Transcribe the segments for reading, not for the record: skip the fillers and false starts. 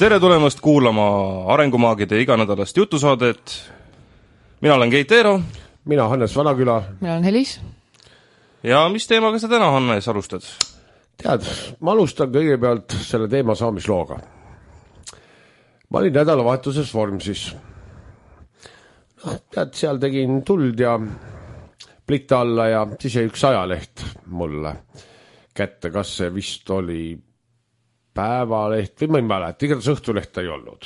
Tere tulemast kuulama Arengumaagide iganädalast jutusaadet. Mina olen Keit Eero. Mina Hannes Vanaküla. Mina olen Helis. Ja mis teemaga sa täna, Hannes, alustad? Tead, ma alustan kõigepealt selle teema saamislooga. Ma olin nädalavahetuses Vormsis. Tead, seal tegin tuld ja plitta alla ja siis jäi üks ajaleht mulle kätte, kas see vist oli Päevaleht või ma ei mäleta, igatahes Õhtulehta ei olnud.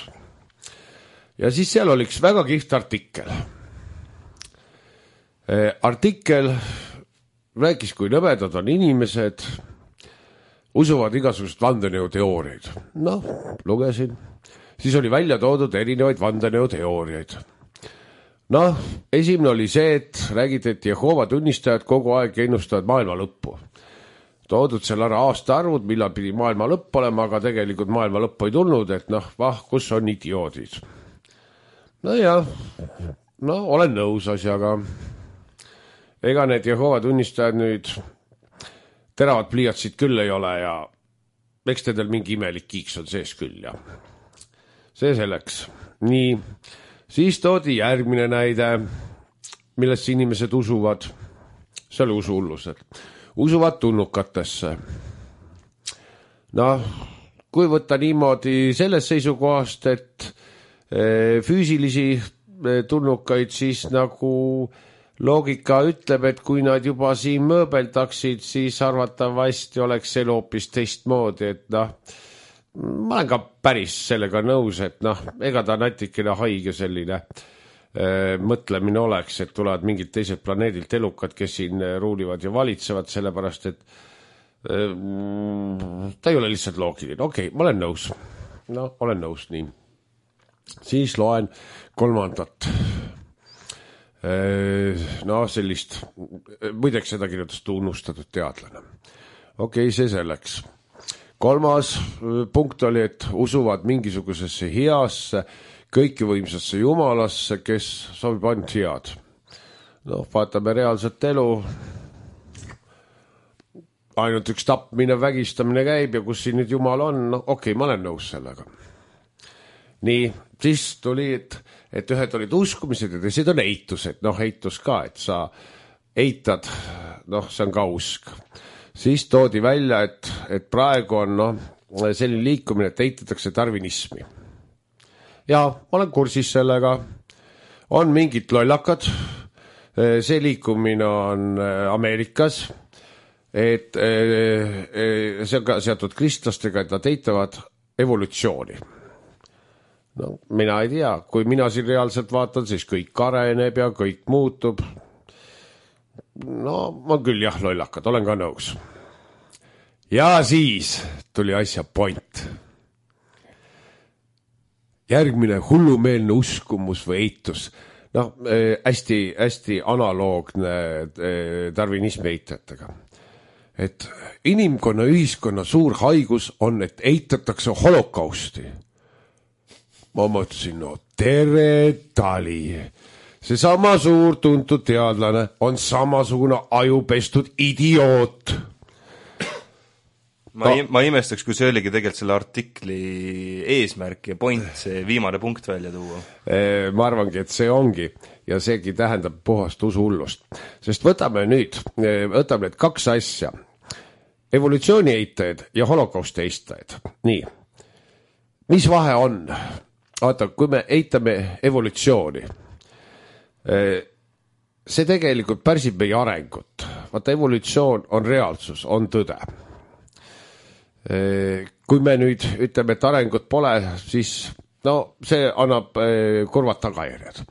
Ja siis seal oli üks väga kihvt artikkel. Artikkel rääkis, kui nõmedad on inimesed, usuvad igasugust vandenõuteooriaid. Noh, lugesin. Siis oli välja toodud erinevaid vandenõuteooriaid. Noh, esimene oli see, et räägiti, et Jehoova tunnistajad kogu aeg ennustavad maailma lõppu. Toodud seal ära aastaarvud, millal pidi maailma lõpp olema, aga tegelikult maailma lõppu ei tulnud, et kus on idioodid. Olen nõus asjaga. Ega need Jehoova tunnistajad nüüd teravad pliiatsid küll ei ole ja eks teedel mingi imelik kiiks on sees küll ja see selleks. Nii, siis toodi järgmine näide, millest inimesed usuvad. See oli usuhullused. Usuvad tulnukatesse. Kui võtta niimoodi selles seisukohast, et füüsilisi tulnukaid, siis nagu loogika ütleb, et kui nad juba siin mööbeldaksid, siis arvatavasti oleks elu hoopis teistmoodi, et ma olen ka päris sellega nõus, et ega ta natikene haige selline mõtlemine oleks, et tulevad mingid teised planeedilt elukad, kes siin ruulivad ja valitsevad, sellepärast, et ta ei ole lihtsalt loogiline. Okei, ma olen nõus. Olen nõus, nii. Siis loen kolmandat. Sellist, muideks seda kirjutas tunnustatud teadlane. Okei, see selleks. Kolmas punkt oli, et usuvad mingisugusesse heasse, kõikivõimsasse jumalasse, kes sobib ainult head. Vaatame reaalset elu. Ainult üks tapmine, vägistamine käib ja kus siin nüüd jumal on, okei, ma olen nõus sellega. Nii, siis tuli, et ühed olid uskumised ja teised on eitused. Eitus ka, et sa eitad, see on ka usk. Siis toodi välja, et praegu on selline liikumine, et eitatakse darwinismi. Ja olen kursis sellega. On mingid lollakad. See liikumine on Ameerikas. Et see on ka seatud kristlastega, et nad eitavad evolutsiooni. Mina ei tea. Kui mina siin reaalselt vaatan, siis kõik areneb ja kõik muutub. Ma küll jah, lollakad. Olen ka nõus. Ja siis tuli asja point. Järgmine hullumeelne uskumus või eitus. Hästi analoogne darwinismi eitajatega. Et inimkonna ühiskonna suur haigus on, et eitatakse holokausti. Ma mõtlesin, tere tali. See sama suur tuntud teadlane on samasugune ajupestud idioot. Ma imestaks, kui see oligi tegelikult selle artikli eesmärk ja point, see viimane punkt välja tuua. Ma arvangi, et see ongi ja seegi tähendab puhast usuhullust. Sest võtame need kaks asja. Evolutsiooni eitajad ja holokausti eitajad. Nii, mis vahe on? Vaata, kui me eitame evolutsiooni, see tegelikult pärsib meie arengut. Vaata, evolutsioon on reaalsus, on tõde. Kui me nüüd ütleme, et arengut pole, siis see annab kurvad tagajärjed.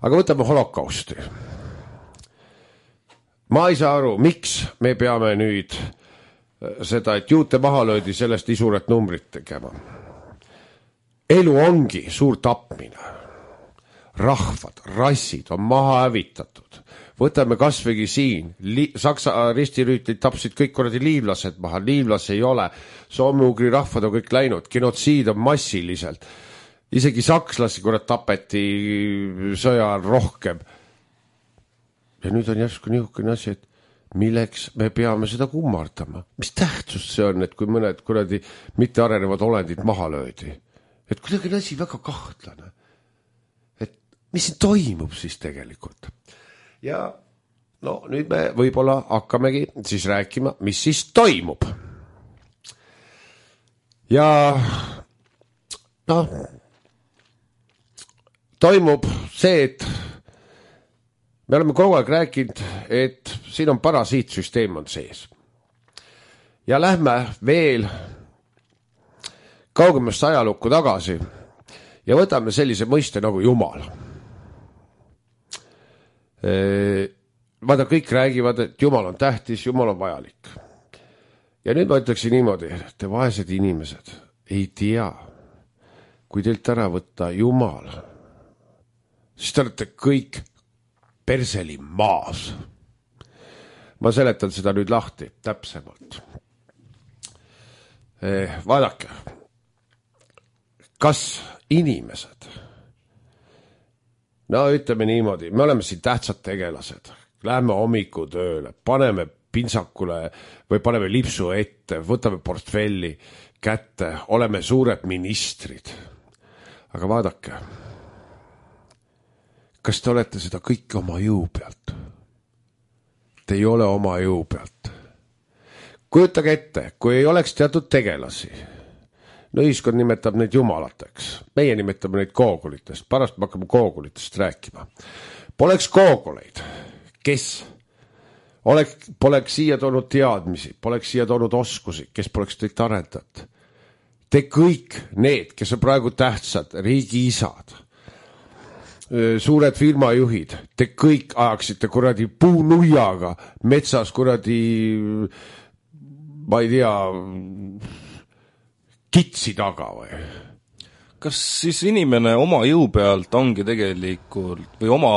Aga võtame holokausti. Ma ei saa aru, miks me peame nüüd seda, et juute maha löödi, sellest nii suuret numbrit tegema. Elu ongi suur tapmine. Rahvad, rassid on maha hävitatud. Võtame kasvõigi siin. Saksa ristirüütlid tapsid kõik korradi liivlased maha. Liivlasi ei ole. Soome-ugri rahvad on kõik läinud. Genotsiid on massiliselt. Isegi sakslasi korrad tapeti sõja rohkem. Ja nüüd on järsku niisugune asi, et milleks me peame seda kummardama? Mis tähtsust see on, et kui mõned kuradi mittearenevad olendid maha löödi? Et kuidagi on asi väga kahtlane. Et mis siin toimub siis tegelikult? Ja no nüüd me võib-olla hakkamegi siis rääkima, mis siis toimub. Ja noh, toimub see, et me oleme kogu aeg rääkinud, et siin on parasiitsüsteem on sees. Ja lähme veel kaugemasse ajalukku tagasi ja võtame sellise mõiste nagu Jumal. Vaata, kõik räägivad, et Jumal on tähtis, Jumal on vajalik. Ja nüüd ma ütleksin niimoodi, te vaesed inimesed ei tea, kui teilt ära võtta Jumal, siis te olete kõik perseli maas. Ma seletan seda nüüd lahti täpsemalt. Vaadake, kas inimesed, no ütleme niimoodi, me oleme siin tähtsad tegelased, lähme hommikutööle, paneme pintsakule või paneme lipsu ette, võtame portfelli kätte, oleme suured ministrid. Aga vaadake, kas te olete seda kõike oma jõu pealt? Te ei ole oma jõu pealt. Kujutage ette, kui ei oleks teatud tegelasi, no ühiskond nimetab neid jumalateks, meie nimetame neid koogulitest, pärast me hakkame koogulitest rääkima. Poleks kooguleid, kes poleks siia toonud teadmisi, poleks siia toonud oskusi, kes poleks teid arendanud. Te kõik need, kes on praegu tähtsad, riigi isad, suured firmajuhid, te kõik ajaksite kuradi puunuiaga metsas kuradi, ma ei tea, kitsi taga või? Kas siis inimene oma jõu pealt ongi tegelikult või oma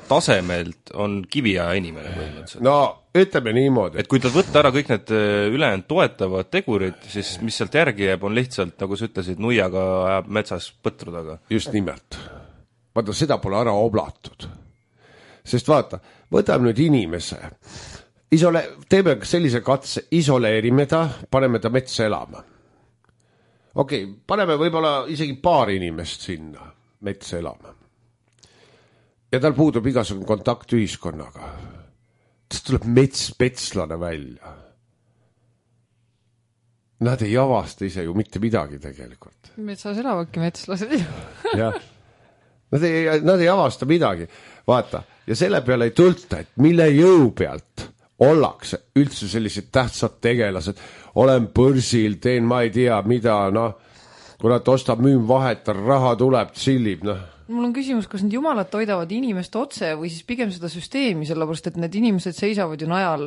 tasemelt on kiviaja inimene põhimõtteliselt? No ütleme niimoodi. Et kui ta võtta ära kõik need ülejäänud toetavad tegurid, siis mis sealt järgi jääb, on lihtsalt, nagu sa ütlesid, nuiaga ajab metsas põtru taga. Just nimelt. Vaata, seda pole ära oblatud. Sest vaata, võtame nüüd inimese. Teeme sellise katse, isoleerime ta, paneme ta metsa elama. Okei, paneme võib-olla isegi paar inimest sinna metsa elama. Ja tal puudub igasugune kontakt ühiskonnaga. Tas tuleb metslane välja. Nad ei avasta ise ju mitte midagi tegelikult. Metsas elavadki metslased. Jah. Nad ei avasta midagi. Vaata, ja selle peale ei tulta, et mille jõu pealt ollakse üldse sellised tähtsad tegelased. Olen börsil, teen ma ei tea mida, kurat ostab müüm vahetar, raha tuleb, tsillib, Mul on küsimus, kas need jumalad toidavad inimest otse või siis pigem seda süsteemi, sellepärast et need inimesed seisavad ju najal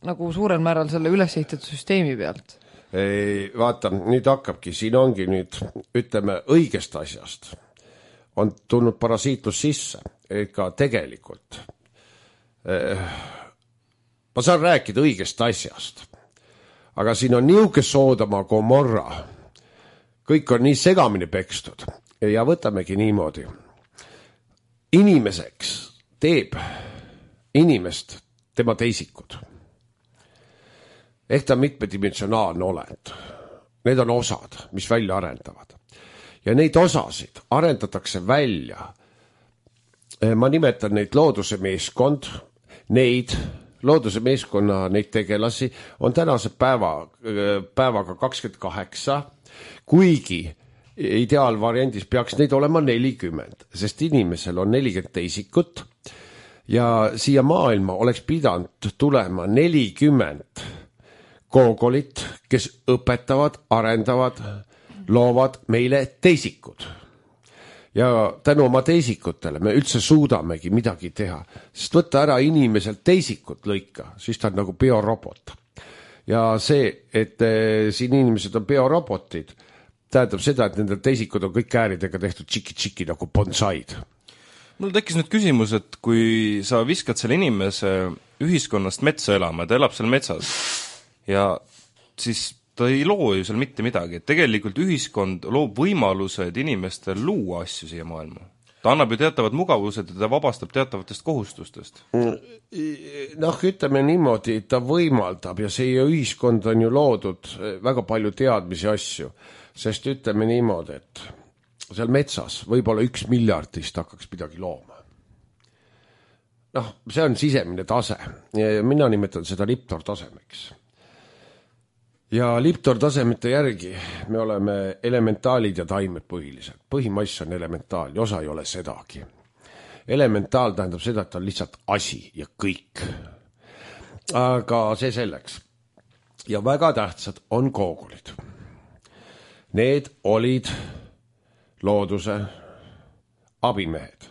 nagu suurel määral selle ülesehitatud süsteemi pealt. Vaata, nüüd hakkabki, siin ongi nüüd, ütleme, õigest asjast on tulnud parasiitlus sisse, ega tegelikult ma saan rääkida õigest asjast, aga siin on niuke Soodoma Gomorra, kõik on nii segamini pekstud ja võtamegi niimoodi. Inimeseks teeb inimest tema teisikud. Ehk ta on mitmedimensionaalne olend. Need on osad, mis välja arendavad. Ja neid osasid arendatakse välja. Ma nimetan neid looduse meeskond, neid looduse meeskonna neid tegelasi on tänase päevaga 28, kuigi ideaalvariandis peaks neid olema 40, sest inimesel on 40 teisikut ja siia maailma oleks pidanud tulema 40 koogolit, kes õpetavad, arendavad, loovad meile teisikud. Ja tänu oma teisikutele me üldse suudamegi midagi teha, sest võtta ära inimeselt teisikut lõika, siis ta on nagu biorobot. Ja see, et siin inimesed on biorobotid, tähendab seda, et nendel teisikud on kõik ääridega tehtud tšiki-tšiki nagu bonsaid. Mul tekkis nüüd küsimus, et kui sa viskad selle inimese ühiskonnast metsa elama, ta elab seal metsas ja siis ta ei loo ju seal mitte midagi, et tegelikult ühiskond loob võimalused inimestel luua asju siia maailma. ta annab ju teatavad mugavused ja ta vabastab teatavatest kohustustest. Noh, ütleme niimoodi, ta võimaldab ja see ühiskond on ju loodud väga palju teadmisi asju, sest ütleme niimoodi, et seal metsas võib-olla 1 miljardist hakkaks midagi looma. Noh, see on sisemine tase. Mina nimetan seda Liptor tasemeks. Ja Liptor tasemete järgi me oleme elementaalid ja taimed põhiliselt. Põhimass on elementaal ja osa ei ole sedagi. Elementaal tähendab seda, et on lihtsalt asi ja kõik. Aga see selleks. Ja väga tähtsad on koogulid. Need olid looduse abimehed.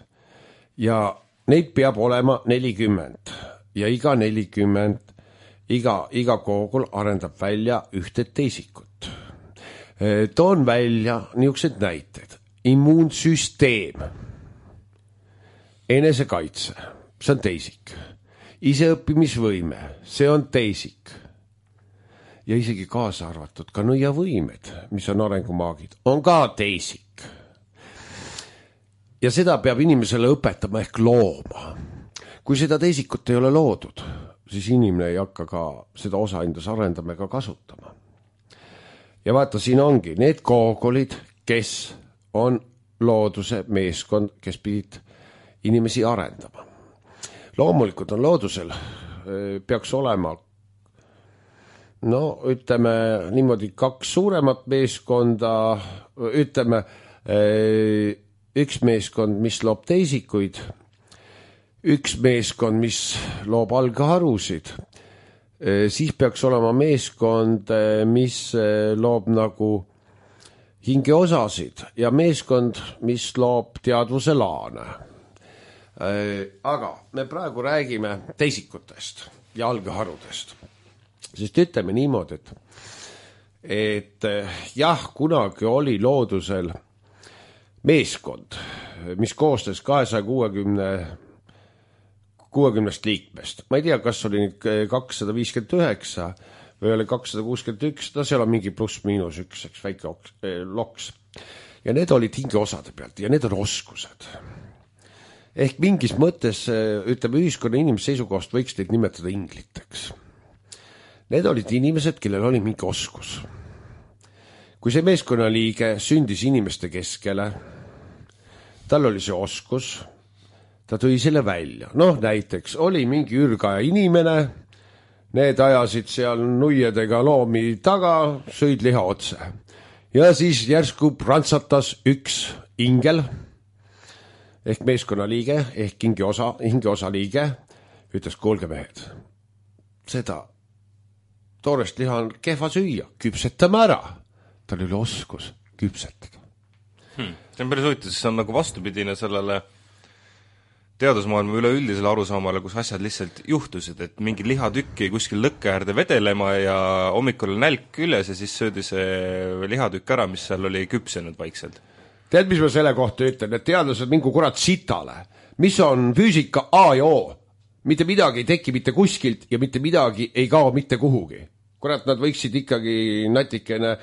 Ja neid peab olema 40 ja iga 40, iga koogul arendab välja ühte teisikut. Toon välja niisugused näited. Immuunsüsteem, enesekaitse, see on teisik. Iseõppimisvõime, see on teisik. Ja isegi kaasa arvatud ka nõiavõimed, mis on arengumaagid, on ka teisik. Ja seda peab inimesele õpetama ehk looma. Kui seda teisikut ei ole loodud, siis inimene ei hakka ka seda osa endas arendama ega kasutama. Ja vaata, siin ongi need koogolid, kes on looduse meeskond, kes pidid inimesi arendama. Loomulikult on loodusel, peaks olema, no ütleme niimoodi 2 suuremat meeskonda, ütleme üks meeskond, mis loob teisikuid, üks meeskond, mis loob algharusid, siis peaks olema meeskond, mis loob nagu hingeosasid ja meeskond, mis loob teadvuse laane. Aga me praegu räägime teisikutest ja algharudest. Sest ütleme niimoodi, et jah, kunagi oli loodusel meeskond, mis koostes 260 liikmest. Ma ei tea, kas oli nüüd 259 või oli 261, no seal on mingi pluss-miinus üks väike loks. Ja need olid hingeosade pealt ja need on oskused. Ehk mingis mõttes, ütleme, ühiskonna inimese seisukohast võiks neid nimetada ingliteks. Need olid inimesed, kellel oli mingi oskus. Kui see meeskonna liige sündis inimeste keskele, tal oli see oskus, ta tõi selle välja. Noh, näiteks oli mingi ürgaja inimene, need ajasid seal nuiedega loomi taga, sõid liha otse. Ja siis järsku prantsatas üks ingel, ehk meeskonna liige, ehk hingeosa liige, ütles, kuulge mehed, seda toorest liha on kehva süüa, küpsetame ära. Tal oli oskus küpsetada. See on päris huvitav, see on nagu vastupidine sellele teadusmaailma üleüldisele arusaamale, kus asjad lihtsalt juhtusid, et mingi lihatükki kuskil lõkke äärde vedelema ja hommikul nälk küljes ja siis söödi see lihatükk ära, mis seal oli küpsenud vaikselt. Tead, mis ma selle kohta ütlen, et teadlased mingu kurat sitale. Mis on füüsika A ja O? Mitte midagi ei teki mitte kuskilt ja mitte midagi ei kao mitte kuhugi. Kurat, nad võiksid ikkagi natikene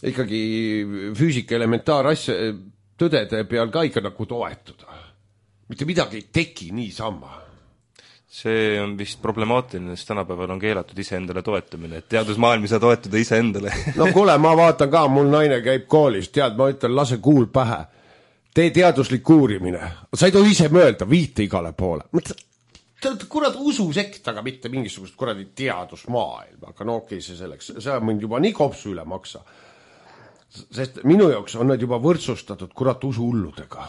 füüsika elementaarasja tõdede peal ka ikka nagu toetuda. Mitte midagi ei teki niisama. See on vist problemaatiline, sest tänapäeval on keelatud iseendale toetumine, et teadusmaailm ei saa toetuda iseendale. No kuule, ma vaatan ka, mul naine käib koolis, tead, ma ütlen, lase kuul pähe. Tee teaduslik uurimine. Sa ei tohi ise mõelda, viite igale poole. Kurat ususekt, aga mitte mingisugust kuradi teadusmaailm. Aga no okei, see selleks. See on mind juba nii kopsu üle maksa. Sest minu jaoks on nad juba võrdsustatud kurat usuhulludega.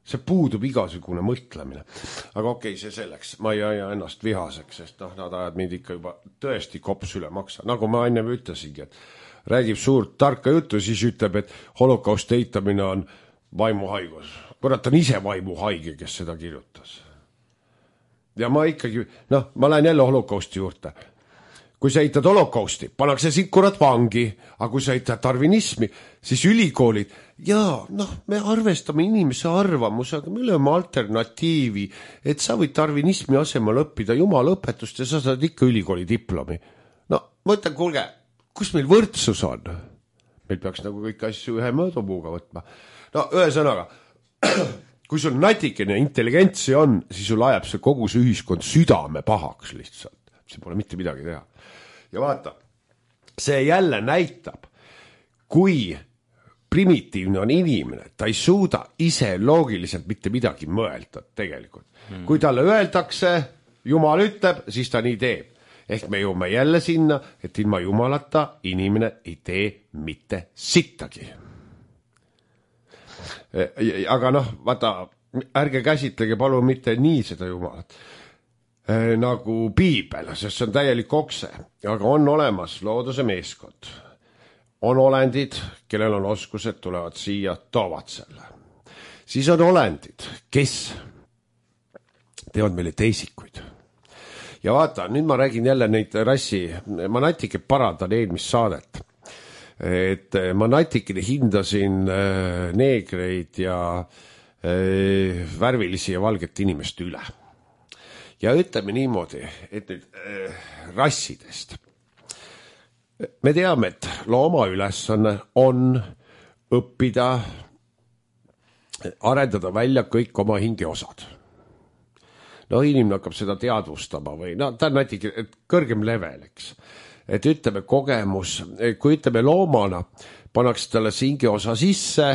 See puudub igasugune mõtlemine. Aga okei, see selleks. Ma ei aja ennast vihaseks, sest nad ajad mind ikka juba tõesti kops üle maksa. Nagu ma enne ütlesingi, et räägib suurt tarka juttu, siis ütleb, et holokaust eitamine on vaimuhaigus. Kurat on ise vaimuhaige, kes seda kirjutas. Ja ma ikkagi, ma lähen jälle holokausti juurde. Kui sa eitad holokausti, pannakse sind kurat vangi, aga kui sa eitad darwinismi, siis ülikoolid, me arvestame inimese arvamuse, aga me oleme alternatiivi, et sa võid darwinismi asemel õppida jumala õpetust ja sa saad ikka ülikooli diplomi. No, ma ütlen, kuulge, kus meil võrdsus on? Meil peaks nagu kõik asju ühe mõõdupuuga võtma. No, ühesõnaga, kui sul natikene intelligentsi on, siis sul ajab see kogu see ühiskond südame pahaks lihtsalt. See pole mitte midagi teha. Ja vaata, see jälle näitab, kui primitiivne on inimene, ta ei suuda ise loogiliselt mitte midagi mõelda tegelikult. Kui talle öeldakse, Jumal ütleb, siis ta nii teeb. Ehk me jõuame jälle sinna, et ilma Jumalata inimene ei tee mitte sittagi. Aga noh, vaata, ärge käsitlege palun mitte nii seda Jumalat nagu piibel, sest see on täielik okse, aga on olemas looduse meeskond. On olendid, kellel on oskused, tulevad siia, toovad selle. Siis on olendid, kes teevad meile teisikuid. Ja vaata, nüüd ma räägin jälle neid rassi, ma natike parandan eelmist saadet. Et ma natikene hindasin neegreid ja värvilisi ja valget inimest üle. Ja ütleme niimoodi, et nüüd rassidest. Me teame, et looma ülesanne on õppida, arendada välja kõik oma hingeosad. No inimene hakkab seda teadvustama või no ta on natuke kõrgem level, eks. Et ütleme kogemus, kui ütleme loomana, pannakse talle see hingeosa sisse,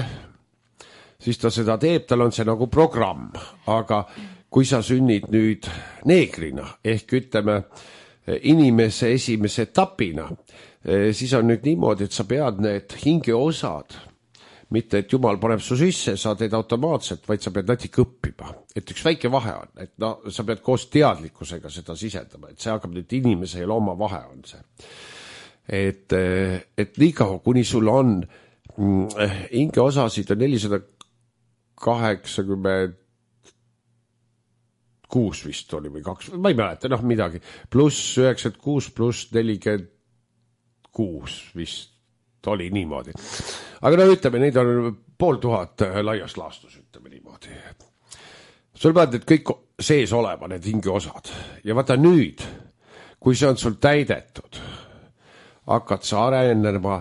siis ta seda teeb, tal on see nagu programm, aga kui sa sünnid nüüd neegrina, ehk ütleme inimese esimese etapina, siis on nüüd niimoodi, et sa pead need hingeosad, mitte et Jumal paneb su sisse, sa teed automaatselt, vaid sa pead natuke õppima. Et üks väike vahe on, et no, sa pead koos teadlikkusega seda sisendama, et see hakkab nüüd inimese ja looma vahe on see. Et nii kaua, kuni sul on hingeosasid on 486 vist oli või 2, ma ei mäleta, noh midagi, pluss 96 pluss 46 vist oli niimoodi. Aga no ütleme, neid on 500 laias laastus, ütleme niimoodi. Sul pead need kõik sees olema, need hingeosad. Ja vaata nüüd, kui see on sul täidetud, hakkad sa arenema,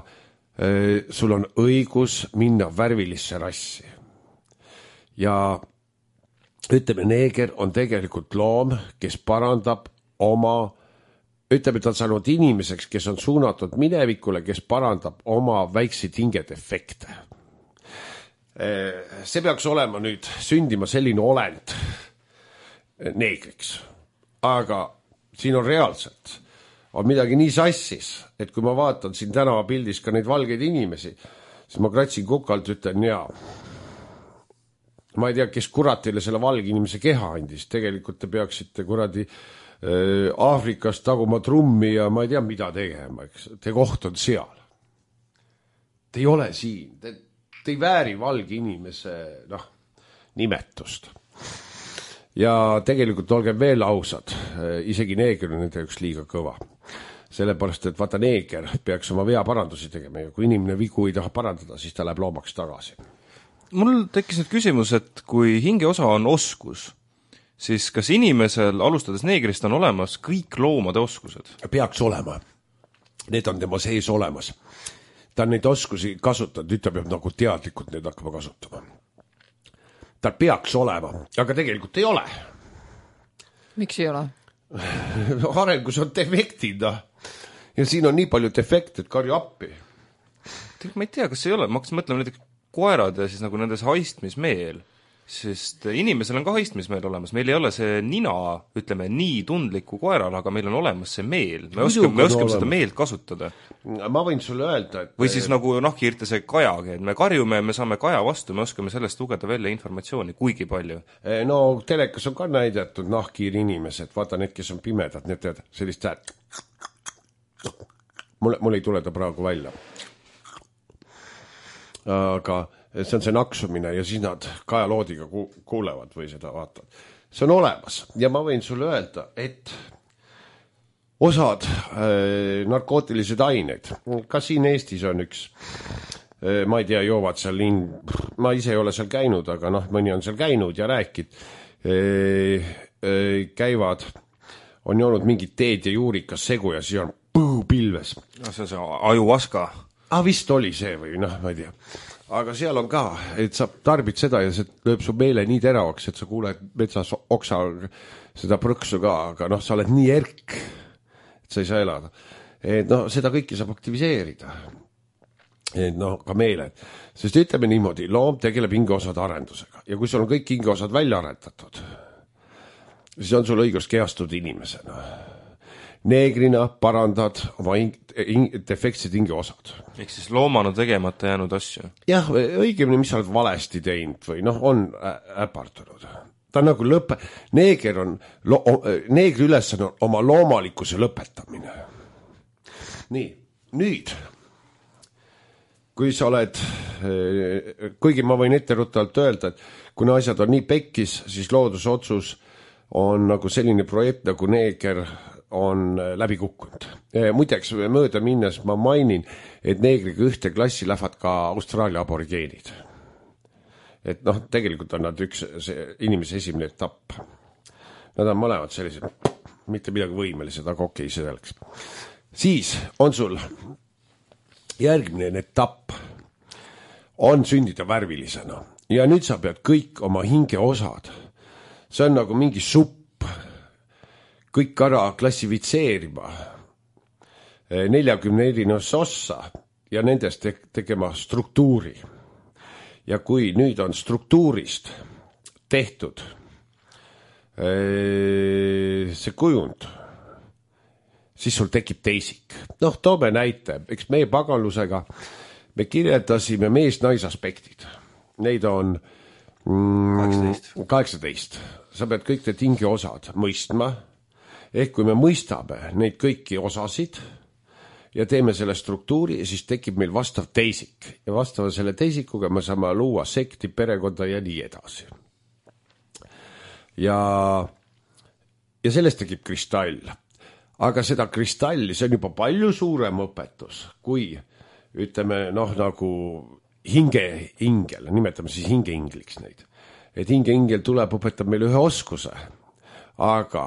sul on õigus minna värvilisse rassi. Ja ütleme, neeger on tegelikult loom, kes parandab oma, ütleme, ta on saanud inimeseks, kes on suunatud minevikule, kes parandab oma väikseid hingedefekte. See peaks olema nüüd sündima selline olend neegriks. Aga siin on reaalselt, on midagi nii sassis, et kui ma vaatan siin tänava pildis ka neid valgeid inimesi, siis ma kratsin kukalt, ütlen jaa. Ma ei tea, kes kurat teile selle valge inimese keha andis. Tegelikult te peaksite kuradi Aafrikas taguma trummi ja ma ei tea, mida tegema. Te koht on seal. Te ei ole siin. Te ei vääri valge inimese nimetust. Ja tegelikult olge veel ausad. Isegi neeger on nende üks liiga kõva. Sellepärast, et vaata neeger peaks oma veaparandusi tegema ja kui inimene vigu ei taha parandada, siis ta läheb loomaks tagasi. Mul tekkis nüüd küsimus, et kui hingeosa on oskus, siis kas inimesel alustades neegrist on olemas kõik loomade oskused? Peaks olema. Need on tema sees olemas. Ta on neid oskusi kasutanud, nüüd ta peab nagu teadlikult neid hakkama kasutama. Ta peaks olema, aga tegelikult ei ole. Miks ei ole? Arengus on defektid. Ja siin on nii palju defekte, et karju appi. Ma ei tea, kas ei ole. Ma hakkasin mõtlema näiteks koerad ja siis nagu nendes haistmismeel, sest inimesel on ka haistmismeel olemas, meil ei ole see nina, ütleme, nii tundliku koeral, aga meil on olemas see meel, me oskame seda meelt kasutada. Ma võin sulle öelda, et või siis nagu nahkhiirte see kajagi, et me karjume, me saame kaja vastu, me oskame sellest lugeda välja informatsiooni, kuigi palju. No telekas on ka näidatud nahkhiiri inimesed, vaata need, kes on pimedad, need tead, sellist häält. Mul ei tule ta praegu välja. Aga see on see naksumine ja siis nad kajaloodiga kuulevad või seda vaatavad. See on olemas ja ma võin sulle öelda, et osad narkootilised aineid, ka siin Eestis on üks, ma ei tea, joovad seal, ma ise ei ole seal käinud, aga mõni on seal käinud ja rääkid, käivad, on joonud mingid teed ja juurikas segu ja siis on pilves. See on see ajuvaska. vist oli see või noh, ma ei tea. Aga seal on ka, et sa tarbid seda ja see lööb su meele nii teravaks, et sa kuuled metsas oksa seda prõksu ka, aga noh, sa oled nii erk, et sa ei saa elada. Et noh, seda kõike saab aktiviseerida. Et noh, ka meeled. Sest ütleme niimoodi, loom tegeleb hingeosade arendusega. Ja kui sul on kõik hingeosad välja arendatud, siis on sul õigus kehastuda inimesena. Neegrina parandad oma defektsed hingeosad. Ehk siis loomana tegemata jäänud asju. Jah, õigemini, mis sa oled valesti teinud või noh, on äpartunud. Ta on nagu neegri ülesanne on oma loomalikkuse lõpetamine. Nii, nüüd kui sa oled, kuigi ma võin etteruttavalt öelda, et kuna asjad on nii pekkis, siis loodusotsus on nagu selline projekt, nagu neeger on läbi kukkunud. Muideks mööda minnes ma mainin, et neegriga ühte klassi lähevad ka Austraalia aborigeenid. Et noh, tegelikult on nad üks inimese esimene etapp. Nad on mõlemad sellised, mitte midagi võimelised, aga okei, see selleks. Siis on sul järgmine etapp on sündida värvilisena ja nüüd sa pead kõik oma hingeosad, see on nagu mingi supp, kõik ära klassifitseerima 40 erinevasse ossa ja nendest tegema struktuuri. Ja kui nüüd on struktuurist tehtud see kujund, siis sul tekib teisik. Noh, toome näite, eks meie paganlusega me kirjeldasime mees-naisaspektid. Neid on 18. Sa pead kõik need hingeosad mõistma. Ehk kui me mõistame neid kõiki osasid ja teeme selle struktuuri, siis tekib meil vastav teisik. Ja vastava selle teisikuga me saame luua sekti, perekonda ja nii edasi. Ja sellest tekib kristall. Aga seda kristalli, see on juba palju suurem õpetus, kui ütleme, noh, nagu hingel, nimetame siis hingeingliks neid. Et hingeingel tuleb, õpetab meile ühe oskuse, aga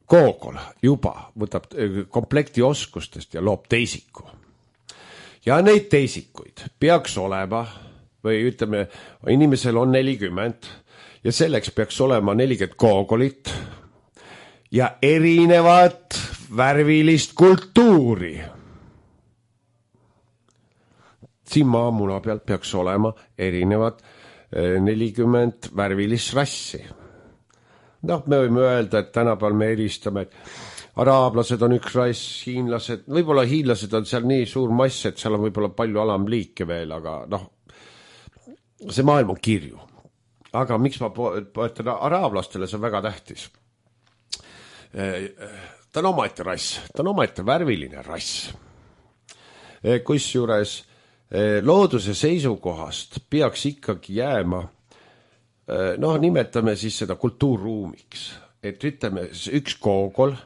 koogol juba võtab komplekti oskustest ja loob teisiku. Ja neid teisikuid peaks olema, või ütleme, inimesel on 40 ja selleks peaks olema 40 koogolit ja erinevat värvilist kultuuri. Siin maamuna pealt peaks olema erinevad 40 värvilist rassi. Noh, me võime öelda, et tänapäeval me eristame, et araablased on üks rass, hiinlased, võib-olla hiinlased on seal nii suur mass, et seal on võib-olla palju alamliike veel, aga noh, see maailm on kirju. Aga miks ma poetan araablastele, see on väga tähtis. Ta on omaette rass, ta on omaette värviline rass. Kusjuures looduse seisukohast peaks ikkagi jääma, noh, nimetame siis seda kultuurruumiks, et ütleme, üks koogol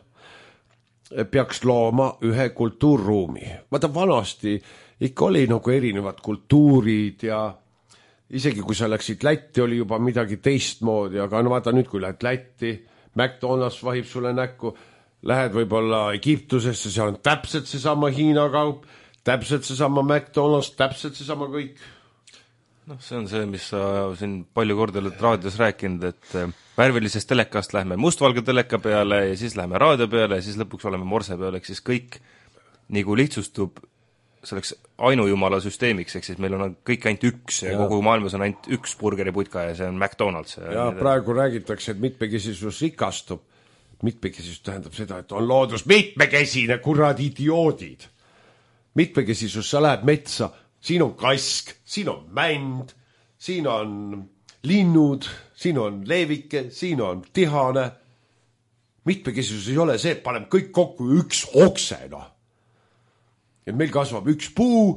peaks looma ühe kultuurruumi. Vaata, vanasti ikka oli nagu erinevad kultuurid ja isegi kui sa läksid Lätti, oli juba midagi teistmoodi, aga no vaata nüüd, kui lähed Lätti, McDonald's vahib sulle näkku, lähed võib-olla Egiptusesse, seal on täpselt seesama Hiina kaup, täpselt seesama McDonald's, täpselt seesama kõik. Noh, see on see, mis sa siin palju korda oled raadios rääkinud, et värvilisest telekast lähme mustvalge teleka peale ja siis lähme raadio peale ja siis lõpuks oleme morse peale, ehk siis kõik nagu lihtsustub selleks ainujumala süsteemiks, ehk siis meil on kõik ainult üks ja kogu maailmas on ainult üks burgeriputka ja see on McDonald's. Ja praegu räägitakse, et mitmekesisus rikastub. Mitmekesisus tähendab seda, et on loodus mitmekesine, kurad idioodid. Mitmekesisus, sa lähed metsa, siin on kask, siin on mänd, siin on linnud, siin on leevike, siin on tihane. Mitmekesisus ei ole see, et paneme kõik kokku üks oksena. Et meil kasvab üks puu,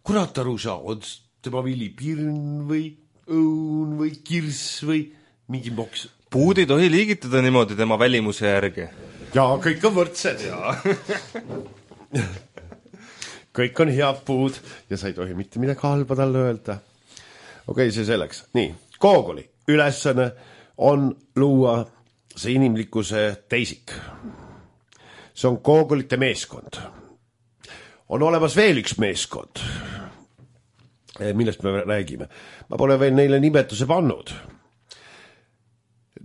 kurat aru saa, on tema vili pirn või õun või kirss või mingi moks. Puud ei tohi liigitada niimoodi tema välimuse järgi. Jaa, kõik on võrdsed. Kõik on head puud ja sa ei tohi mitte midagi halba talle öelda. Okei, see selleks. Nii, koogoli ülesanne on luua see inimlikkuse teisik. See on koogolite meeskond. on olemas veel üks meeskond, millest me räägime. Ma pole veel neile nimetuse pannud.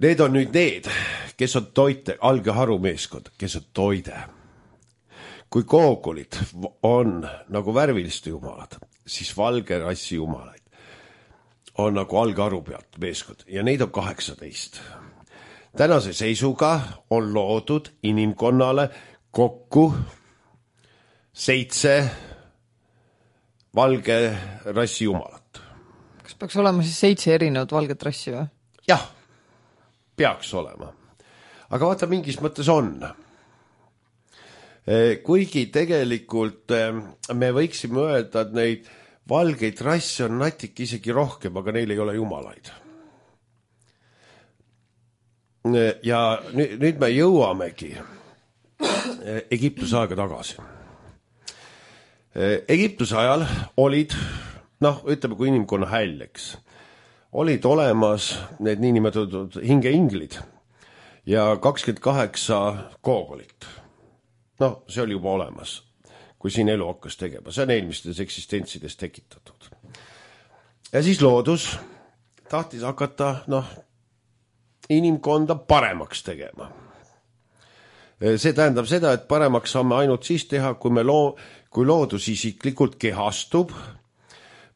Need on nüüd need, kes on toite, algeharu meeskond, kes on toide. Kui koogolid on nagu värviliste jumalad, siis valge rassi jumalaid on nagu algeharu pealt meeskond ja neid on 18. Tänase seisuga on loodud inimkonnale kokku 7 valge rassi jumalat. Kas peaks olema siis 7 erinevat valget rassi või? Jah, peaks olema. Aga vaata, mingis mõttes on. Kuigi tegelikult me võiksime öelda, et neid valgeid rasse on natik isegi rohkem, aga neil ei ole jumalaid. Ja nüüd me jõuamegi Egiptuse aega tagasi. Egiptuse ajal olid, ütleme, kui inimkonna häljeks, olid olemas need niinimetatud hingeinglid ja 28 koogolit. See oli juba olemas, kui siin elu hakkas tegema. See on eelmistes eksistentsides tekitatud. Ja siis loodus tahtis hakata, inimkonda paremaks tegema. See tähendab seda, et paremaks saame ainult siis teha, kui loodus isiklikult kehastub,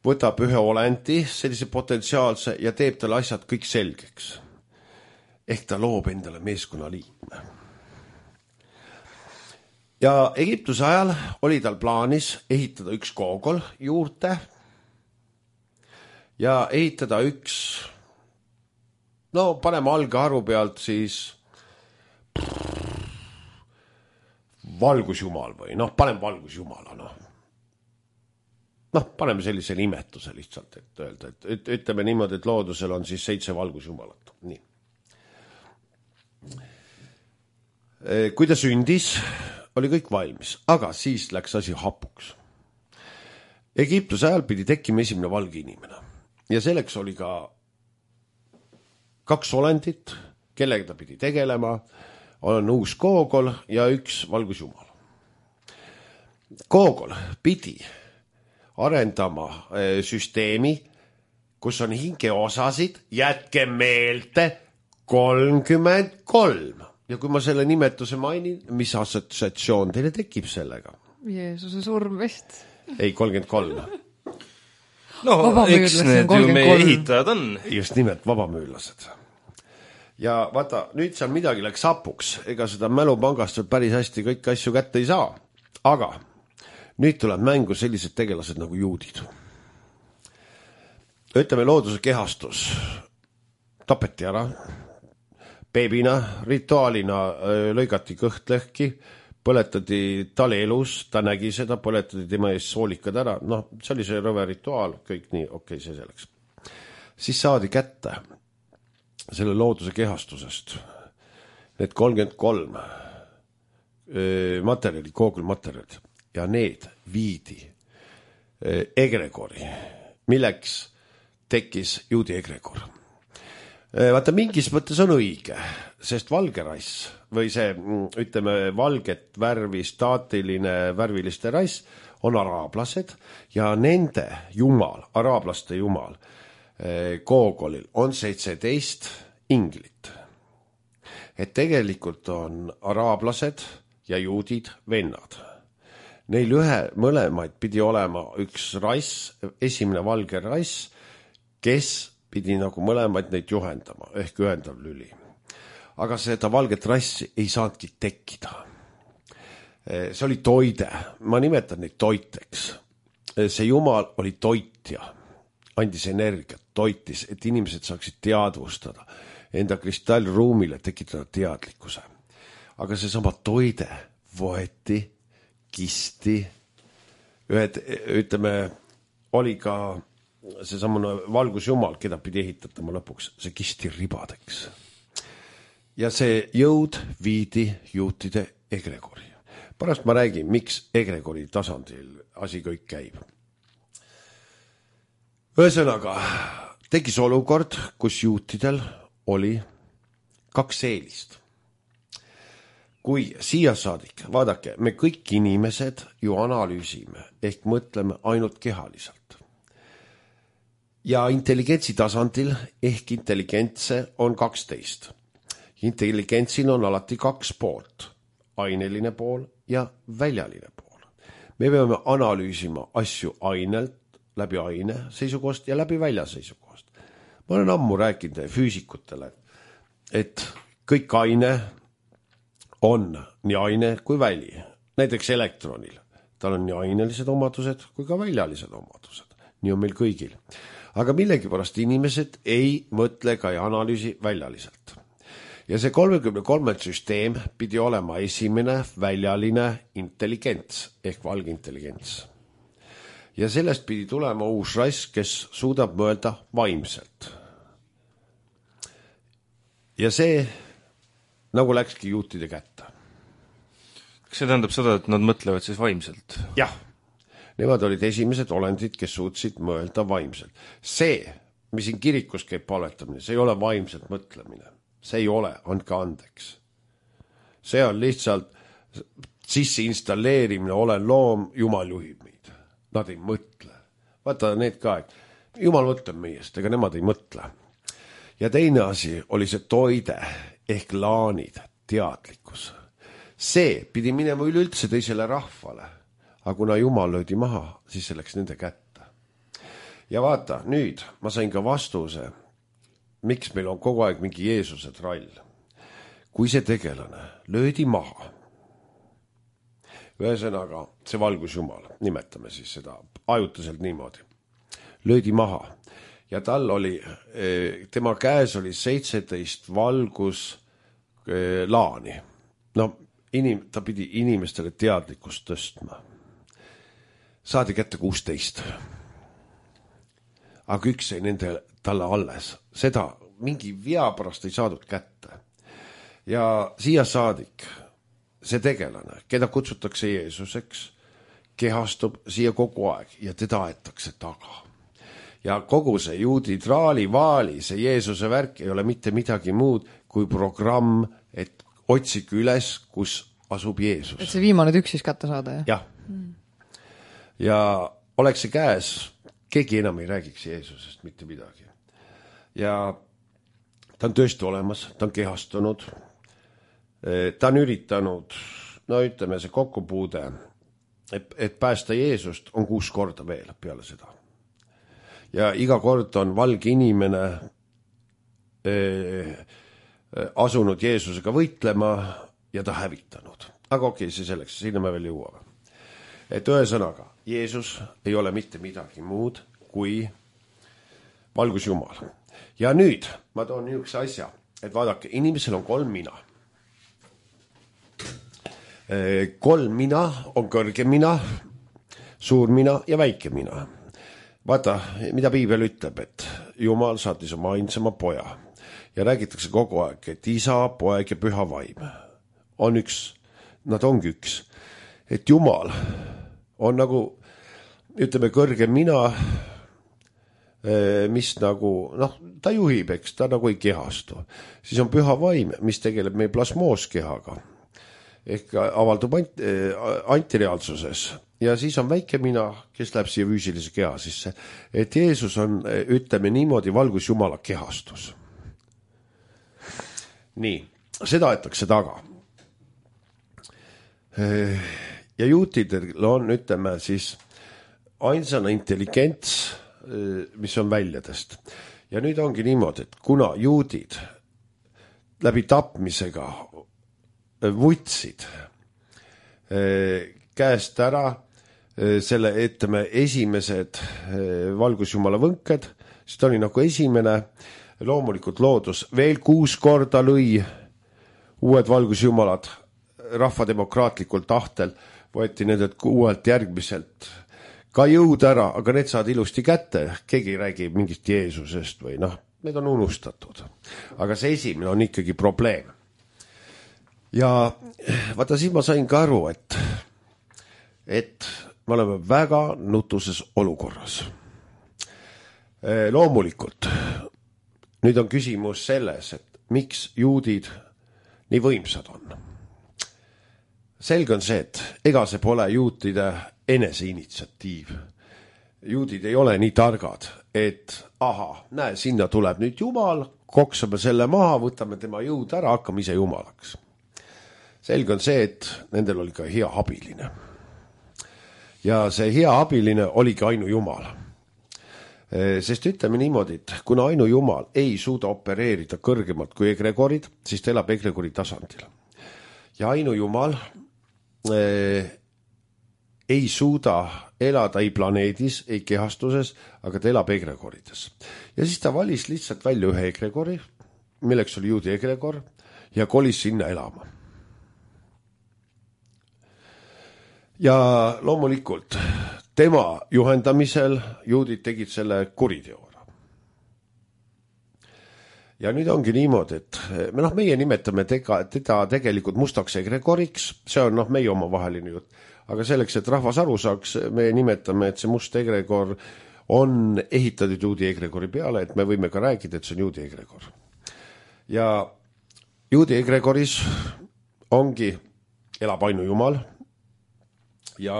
võtab ühe olendi, sellise potentsiaalse ja teeb talle asjad kõik selgeks. Ehk ta loob endale meeskonna liikme. Ja Egiptuse ajal oli tal plaanis ehitada üks koogol juurde ja ehitada üks, paneme algeharu pealt siis valgusjumal või paneme valgusjumala, paneme sellise nimetuse lihtsalt, et öelda, et ütleme niimoodi, et loodusel on siis 7 valgusjumalat. Nii. Kui ta sündis, oli kõik valmis, aga siis läks asi hapuks. Egiptuse ajal pidi tekkima esimene valge inimene ja selleks oli ka 2 olendit, kellega ta pidi tegelema, on uus koogol ja üks valgusjumal. Koogol pidi arendama süsteemi, kus on hingeosasid, jätke meelde 33. Ja kui ma selle nimetuse mainin, mis assotsiatsioon teile tekib sellega? Jeesuse surm vist. Ei, 33. Eks need ju meie ehitajad on. Just nimelt, vabamüürlased. Ja vaata, nüüd seal midagi läks hapuks. Ega seda mälupangast päris hästi kõik asju kätte ei saa. Aga nüüd tuleb mängu sellised tegelased nagu juudid. Ütleme, looduse kehastus tapeti ära. Beebina, rituaalina lõigati kõht lõhki, põletati tal elus, ta nägi seda, põletati tema ees soolikad ära. See oli see rõve rituaal, kõik nii, okei, see selleks. Siis saadi kätte selle looduse kehastusest need 33 materjali, koogulmaterjalid ja need viidi egregori, milleks tekkis juudi egregor. Vaata, mingis mõttes on õige, sest valge rass või see, ütleme, valget värvi, staatiline värviliste rass on araablased ja nende jumal, araablaste jumal, koogolil on 17 inglit. Et tegelikult on araablased ja juudid vennad. Neil mõlemaid pidi olema üks rass, esimene valge rass, kes pidi nagu mõlemaid neid juhendama, ehk ühendav lüli. Aga seda valget rassi ei saanudki tekkida. See oli toide, ma nimetan neid toiteks. See jumal oli toitja, andis energiat, toitis, et inimesed saaksid teadvustada, enda kristallruumile tekitada teadlikkuse. Aga see sama toide võeti, kisti, ütleme, oli ka see samune valgusjumal, keda pidi ehitatama lõpuks, see kisti ribadeks. Ja see jõud viidi juutide egregori. Pärast ma räägin, miks egregori tasandil asi kõik käib. Ühesõnaga, tekkis olukord, kus juutidel oli 2 eelist. kui siia saadik, vaadake, me kõik inimesed ju analüüsime ehk mõtleme ainult kehaliselt. Ja intelligentsi tasandil ehk intelligentse on 12. Intelligentsil on alati 2 poolt, aineline pool ja väljaline pool. Me peame analüüsima asju ainelt, läbi aine seisukohast ja läbi välja seisukohast. Ma olen ammu rääkinud füüsikutele, et kõik aine on nii aine kui väli. Näiteks elektronil. Tal on nii ainelised omadused kui ka väljalised omadused. Nii on meil kõigil. Aga millegipärast inimesed ei mõtle ka ei analüüsi väljaliselt. Ja see 33 süsteem pidi olema esimene väljaline intelligents ehk valgintelligents. Ja sellest pidi tulema uus rass, kes suudab mõelda vaimselt. Ja see nagu läkski juutide kätte. Kas see tähendab seda, et nad mõtlevad siis vaimselt? Jah, nemad olid esimesed olendid, kes suutsid mõelda vaimselt. See, mis siin kirikus käib paletamine, see ei ole vaimselt mõtlemine. See ei ole, andke andeks. See on lihtsalt sisse installeerimine, olen loom, Jumal juhib meid. Nad ei mõtle. Vaata need ka, et Jumal mõtleb meiest, ega nemad ei mõtle. Ja teine asi oli see toide ehk laanid, teadlikkus. See pidi minema üleüldse teisele rahvale, aga kuna Jumal löödi maha, siis see läks nende kätte. Ja vaata, nüüd ma sain ka vastuse, miks meil on kogu aeg mingi Jeesuse trall. Kui see tegelane löödi maha, ühesõnaga see valgus Jumal, nimetame siis seda ajutiselt niimoodi, löödi maha. Ja tal oli, tema käes oli 17 valgus laani. No, ta pidi inimestele teadlikkust tõstma. Saadi kätte 16. Aga üks ei nende talle alles. Seda mingi vea pärast ei saadud kätte. Ja siia saadik, see tegelane, keda kutsutakse Jeesuseks, kehastub siia kogu aeg ja teda aetakse taga. Ja kogu see juudi traali-vaali, see Jeesuse värk ei ole mitte midagi muud kui programm, et otsige üles, kus asub Jeesus. Et see viimane tükk siis kätte saada, jah? Jah. Ja oleks see käes, keegi enam ei räägiks Jeesusest mitte midagi. Ja ta on tõesti olemas, ta on kehastunud, ta on üritanud, no ütleme see kokkupuude, et päästa Jeesust on 6 korda veel peale seda. Ja iga kord on valge inimene asunud Jeesusega võitlema ja ta hävitanud. Aga okei, see selleks, sinna me veel jõuame. Et ühesõnaga, Jeesus ei ole mitte midagi muud kui valgus Jumal. Ja nüüd ma toon niisuguse asja, et vaadake, inimesel on 3 mina. 3 mina on kõrge mina, suur mina ja väike mina. Vaata, mida Piibel ütleb, et Jumal saatis oma ainsama poja ja räägitakse kogu aeg, et isa, poeg ja püha vaim on üks, nad ongi üks. Et Jumal on nagu, ütleme, kõrge mina, mis nagu, ta juhib, eks, ta nagu ei kehastu. Siis on püha vaim, mis tegeleb meie plasmooskehaga ehk avaldub antireaalsuses. Ja siis on väike mina, kes läheb siia füüsilise keha sisse. Et Jeesus on, ütleme niimoodi, valgus Jumala kehastus. Nii, seda aetakse taga. Ja juutidel on, ütleme siis, ainsana intelligents, mis on väljadest. Ja nüüd ongi niimoodi, et kuna juudid läbi tapmisega võtsid käest ära selle, ütleme, esimesed valgusjumala võnked, siis ta oli nagu esimene, loomulikult loodus veel 6 korda lõi uued valgusjumalad rahvademokraatlikul tahtel, võeti nendelt 6 järgmiselt ka jõud ära, aga need saad ilusti kätte, keegi ei räägi mingist Jeesusest või need on unustatud. Aga see esimene on ikkagi probleem. Ja vaata, siis ma sain ka aru, et me oleme väga nutuses olukorras. Loomulikult, nüüd on küsimus selles, et miks juudid nii võimsad on. selge on see, et ega see pole juutide eneseinitsiatiiv. Juudid ei ole nii targad, et näe, sinna tuleb nüüd Jumal, koksame selle maha, võtame tema jõud ära, hakkame ise Jumalaks. Selge on see, et nendel oli ka hea abiline. Ja see hea abiline oligi ainu Jumal. Sest ütleme niimoodi, et kuna ainu Jumal ei suuda opereerida kõrgemalt kui egregorid, siis ta elab egregori tasandil. Ja ainu Jumal ei suuda elada ei planeedis, ei kehastuses, aga ta elab egregorides. Ja siis ta valis lihtsalt välja ühe egregori, milleks oli juudi egregor, ja kolis sinna elama. Ja loomulikult tema juhendamisel juudid tegid selle kuriteora. Ja nüüd ongi niimoodi, et meie nimetame teda tegelikult mustaks egregoriks, see on meie omavaheline jutt, aga selleks, et rahvas aru saaks, me nimetame, et see must egregor on ehitatud juudi egregori peale, et me võime ka rääkida, et see on juudi egregor. Ja juudi egregoris ongi, elab ainu Jumal ja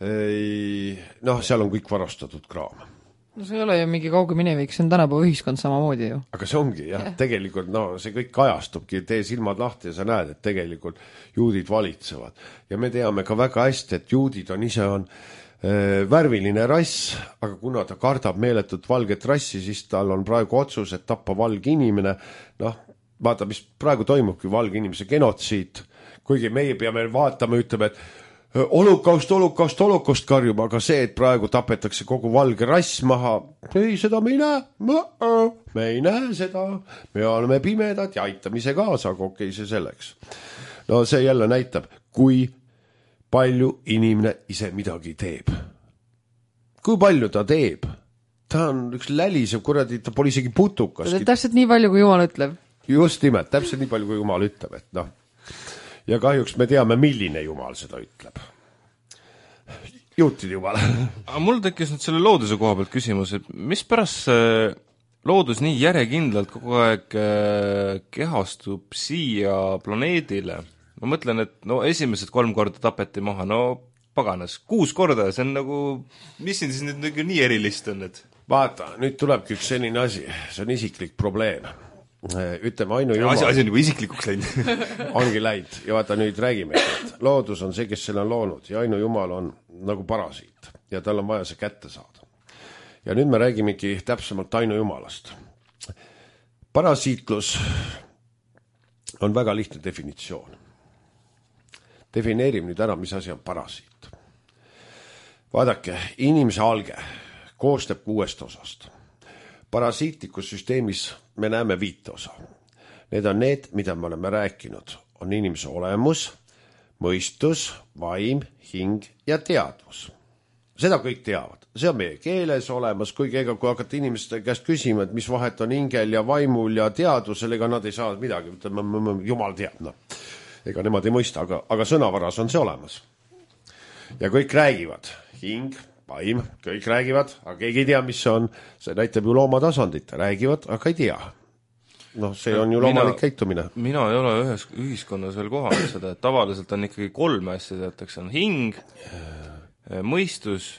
seal on kõik varastatud kraam. No see ei ole ju mingi kauge minevik, see on tänapäeva ühiskond samamoodi ju. Aga see ongi, tegelikult see kõik kajastubki, tee silmad lahti ja sa näed, et tegelikult juudid valitsevad. Ja me teame ka väga hästi, et juudid ise on värviline rass, aga kuna ta kardab meeletut valget rassi, siis tal on praegu otsus, et tappa valge inimene. Vaata, mis praegu toimubki valge inimese genotsiid, kuigi meie peame vaatama, ütleme, et holokaust karjuma, aga see, et praegu tapetakse kogu valge rass maha, ei, seda me ei näe. Me ei näe seda, me oleme pimedad ja aitame ise kaasa, aga okei, see selleks. No see jälle näitab, kui palju inimene ise midagi teeb. Kui palju ta teeb? Ta on üks lälisev, kuradi, ta pole isegi putukaski. Täpselt nii palju, kui Jumal ütleb. Just nimelt, täpselt nii palju, kui Jumal ütleb, et Ja kahjuks me teame, milline Jumal seda ütleb. Juutid Jumal. Aga mul tekkis nüüd selle looduse koha pealt küsimus, et mis pärast loodus nii järjekindlalt kogu aeg kehastub siia planeedile? Ma mõtlen, et esimesed 3 korda tapeti maha, paganas, 6 korda, see on mis siin siis nüüd nii erilist on? Vaata, nüüd tulebki üks selline asi, see on isiklik probleem. Ütleme ainu Jumal. Asi on juba isiklikuks läinud. Ongi läinud. Ja vaata, nüüd räägime, et loodus on see, kes selle on loonud ja ainu Jumal on nagu parasiit ja tal on vaja see kätte saada. Ja nüüd me räägimegi täpsemalt ainu Jumalast. Parasiitlus on väga lihtne definitsioon. Defineerime nüüd ära, mis asi on parasiit. Vaadake, inimese alge koostab 6 osast. Parasiitlikus süsteemis me näeme 5 osa. Need on need, mida me oleme rääkinud. On inimese olemus, mõistus, vaim, hing ja teadvus. Seda kõik teavad. See on meie keeles olemas, kuigi kui hakata inimeste käest küsima, et mis vahet on hingel ja vaimul ja teadvusel, ega nad ei saa midagi. Jumal teab, ega nemad ei mõista, aga sõnavaras on see olemas. Ja kõik räägivad. Hing, vaim, kõik räägivad, aga keegi ei tea, mis see on. See näitab ju looma tasandit, räägivad, aga ei tea. See on ju loomulik käitumine. Mina ei ole ühes ühiskonnas veel kohanud seda, et tavaliselt on ikkagi 3 asja, teatakse, on hing, mõistus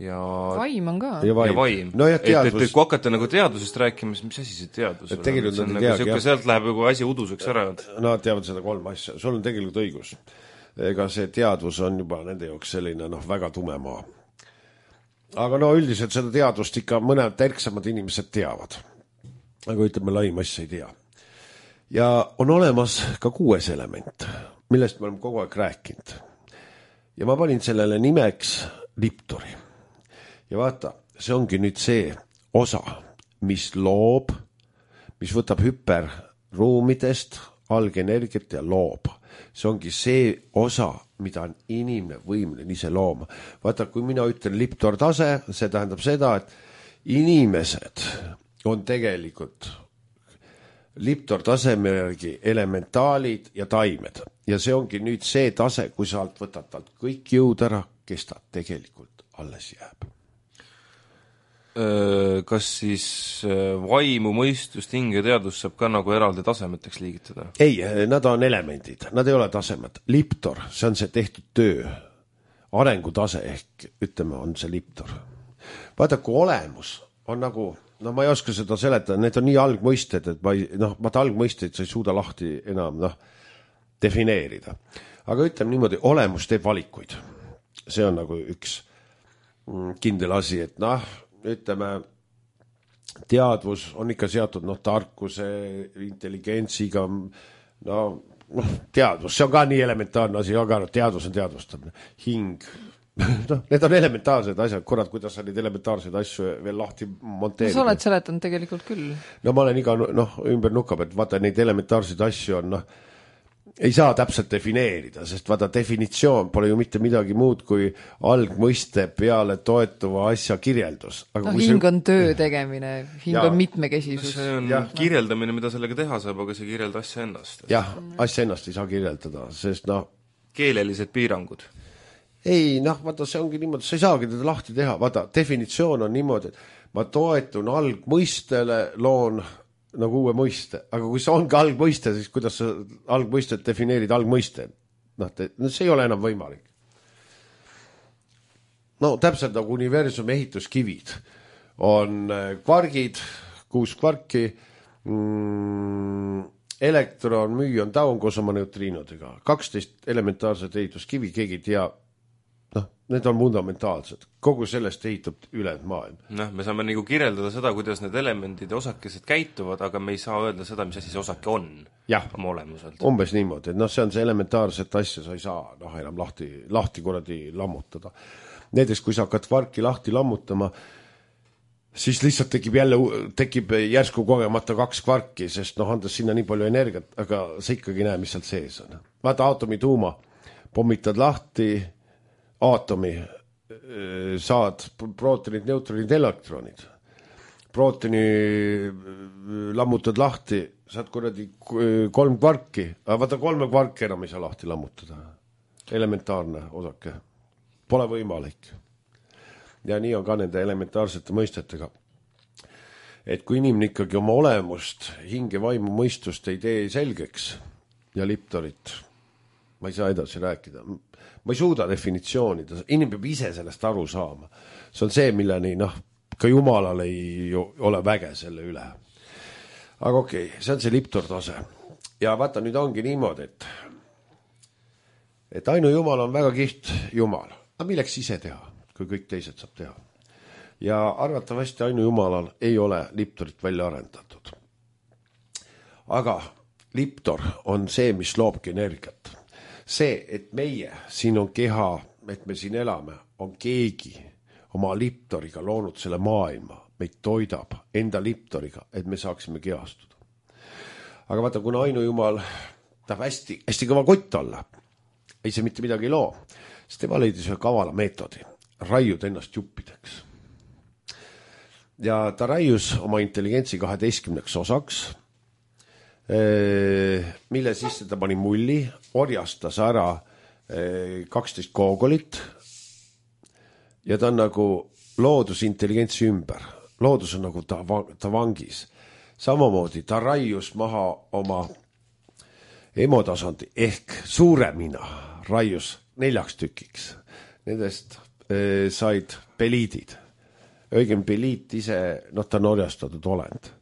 ja vaim on ka. Ja vaim. No ja teadvus. Et kui hakata teadusest rääkima, mis asi see teadvus on? See on nagu sealt läheb ju asi uduseks ära. Nad teavad seda 3 asja. Sul on tegelikult õigus. Ega see teadvus on juba nende jaoks selline väga tume maa. Aga üldiselt seda teadvust ikka mõned terksamad inimesed teavad. Aga ütleme, laim asja ei tea. Ja on olemas ka 6 element, millest me oleme kogu aeg rääkinud. Ja ma panin sellele nimeks liptori. Ja vaata, see ongi nüüd see osa, mis loob, mis võtab hüperruumidest algenergiat ja loob. See ongi see osa, mida on inimene võimeline ise looma. Vaata, kui mina ütlen liptor tase, see tähendab seda, et inimesed on tegelikult liptor taseme järgi elementaalid ja taimed. Ja see ongi nüüd see tase, kui sa alt võtad talt kõik jõud ära, kes ta tegelikult alles jääb. kas siis vaimu, mõistust, hinge ja teadvust saab ka nagu eraldi tasemeteks liigitada? Ei, nad on elemendid, nad ei ole tasemed. Liptor, see on see tehtud töö. Arengutase ehk, ütleme, on see liptor. Vaata, kui olemus on nagu, no ma ei oska seda seletada, need on nii algmõisted, et vaata algmõisteid sa ei suuda lahti enam defineerida. Aga ütleme niimoodi, olemus teeb valikuid. See on nagu üks kindel asi, et ütleme, teadvus on ikka seatud tarkuse, intelligentsiga, teadvus, see on ka nii elementaarne asi, aga teadvus on teadvustamine. Hing, need on elementaarsed asjad, kurat, kuidas sa neid elementaarseid asju veel lahti monteerida. Sa oled seletanud tegelikult küll. No ma olen iga, ümber nukab, et vaata, neid elementaarseid asju on, ei saa täpselt defineerida, sest vaata, definitsioon pole ju mitte midagi muud kui algmõiste peale toetuva asja kirjeldus. Aga hing on töö tegemine, hing on mitmekesisus. See on kirjeldamine, mida sellega teha saab, aga see kirjelda asja ennast. Jah, asja ennast ei saa kirjeldada, sest keelelised piirangud. Ei, vaata, see ongi niimoodi, sa ei saagi teda lahti teha. Vaata, definitsioon on niimoodi, et ma toetun algmõistele, loon nagu uue mõiste, aga kui see ongi algmõiste, siis kuidas sa algmõistet defineerid algmõiste? See ei ole enam võimalik. Täpselt nagu universumi ehituskivid on kvargid, 6 kvarki, elektron, müün, taun koos oma neutriinodega, 12 elementaarset ehituskivi, keegi ei tea, need on fundamentaalsed. Kogu sellest ehitub ülejäänud maailm. Me saame nagu kirjeldada seda, kuidas need elemendid ja osakesed käituvad, aga me ei saa öelda seda, mis asi see osake on oma olemuselt. Umbes niimoodi, et see on see elementaarset asja, sa ei saa enam lahti kuradi lammutada. Näiteks, kui sa hakkad kvarki lahti lammutama, siis lihtsalt tekib järsku kogemata 2 kvarki, sest andes sinna nii palju energiat, aga sa ikkagi näe, mis sealt sees on. Vaata aatomi tuuma, pommitad lahti aatomi, saad prootonid, neutronid, elektronid. Prootoni lammutad lahti, saad kuradi 3 kvarki, aga vaata 3 kvarki enam ei saa lahti lammutada. Elementaarne osake. Pole võimalik. Ja nii on ka nende elementaarsete mõistetega. Et kui inimene ikkagi oma olemust, hinge, vaimu, mõistust ei tee selgeks ja liptorit, ma ei saa edasi rääkida. Ma ei suuda definitsioonida, inimene peab ise sellest aru saama. See on see, milleni ka Jumalal ei ole väge selle üle. Aga okei, see on see liptortase. Ja vaata, nüüd ongi niimoodi, et ainu Jumal on väga kiht Jumal. Aga milleks ise teha, kui kõik teised saab teha? Ja arvatavasti ainu Jumalal ei ole liptorit välja arendatud. Aga liptor on see, mis loobki energiat. See, et meie, siin on keha, et me siin elame, on keegi oma liptoriga loonud selle maailma, meid toidab enda liptoriga, et me saaksime kehastuda. Aga vaata, kuna ainu Jumal tahab hästi kõva kott olla, ei see mitte midagi loo, siis tema leidis ühe kavala meetodi, raiud ennast juppideks. Ja ta raius oma intelligentsi 12 osaks, mille sisse ta pani mulli, orjastas ära 12 koogolit ja ta on nagu loodusintelligentsi ümber. Loodus on nagu ta vangis. Samamoodi ta raius maha oma emotasandi ehk suure mina raius 4 tükiks. Nendest said peliidid. Õigem peliit ise, ta on orjastatud olend.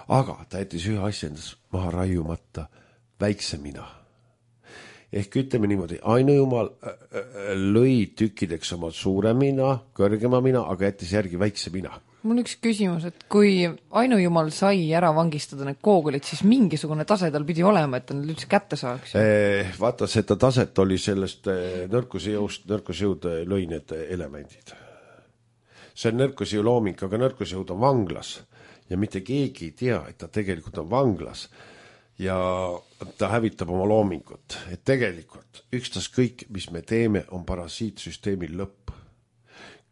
Aga ta jättis ühe asja endas maha raiumata, väikse mina. Ehk ütleme niimoodi, ainu Jumal lõi tükkideks oma suure mina, kõrgema mina, aga jättis järgi väikse mina. Mul üks küsimus, et kui ainu Jumal sai ära vangistada need koogulid, siis mingisugune tase tal pidi olema, et ta nüüd üldse kätte saaks. Vaata, seda taset oli sellest nõrkusjõud lõi need elemendid. See on nõrkusjõu looming, aga nõrkusjõud on vanglas. Ja mitte keegi ei tea, et ta tegelikult on vanglas ja ta hävitab oma loomingut. Et tegelikult ükstas kõik, mis me teeme, on parasiitsüsteemil lõpp.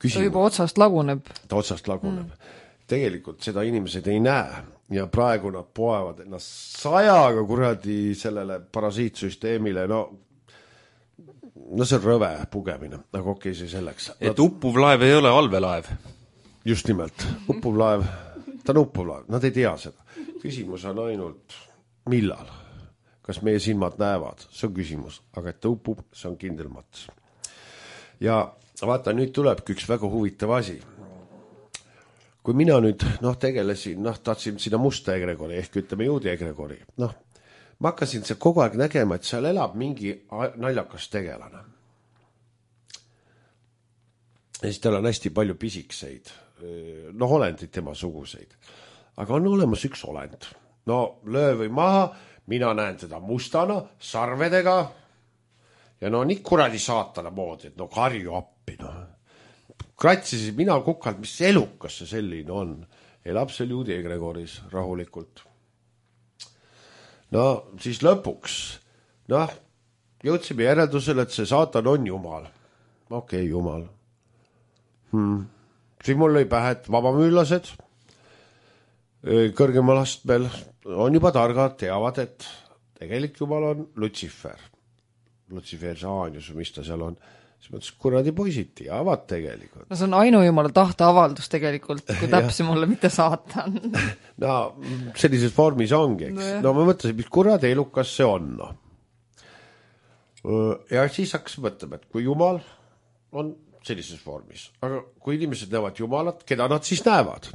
Ta juba otsast laguneb. Ta otsast laguneb. Tegelikult seda inimesed ei näe ja praegu nad poevad ennast 100 kuradi sellele parasiitsüsteemile. No see on rõve pugemine, aga okei, see selleks. Et uppuv laev ei ole allveelaev. just nimelt, uppuv laev, ta on uppuv laev, nad ei tea seda. Küsimus on ainult, millal, kas meie silmad näevad, see on küsimus, aga et ta upub, see on kindel mats. Ja vaata, nüüd tulebki üks väga huvitav asi. Kui mina nüüd, tegelesin, tahtsin sinna musta egregori, ehk ütleme juudi egregori, ma hakkasin seal kogu aeg nägema, et seal elab mingi naljakas tegelane. Ja siis tal on hästi palju pisikseid, olendid tema suguseid. Aga on olemas üks olend. Löö või maha, mina näen teda mustana, sarvedega ja nii kuradi saatana moodi, et karju appi. Kratsisin mina kukalt, mis elukas see selline on. Elab seal juudi egregoris rahulikult. Siis lõpuks, jõudsime järeldusele, et see saatan on jumal. Okei, jumal. Siis mul lõi pähe, et vabamüülased kõrgemal astmel on juba targad, teavad, et tegelik jumal on Lutsifer. Lutsifer, Saanius, mis ta seal on. Siis mõttes, kuradi poisid teavad tegelikult. See on ainujumala tahteavaldus tegelikult, kui täpse mulle mitte saatan. Sellises vormis ongi, eks. Ma mõtlesin, mis kuradi elukas see on. Ja siis hakkas mõtlema, et kui jumal on sellises vormis, aga kui inimesed näevad jumalat, keda nad siis näevad?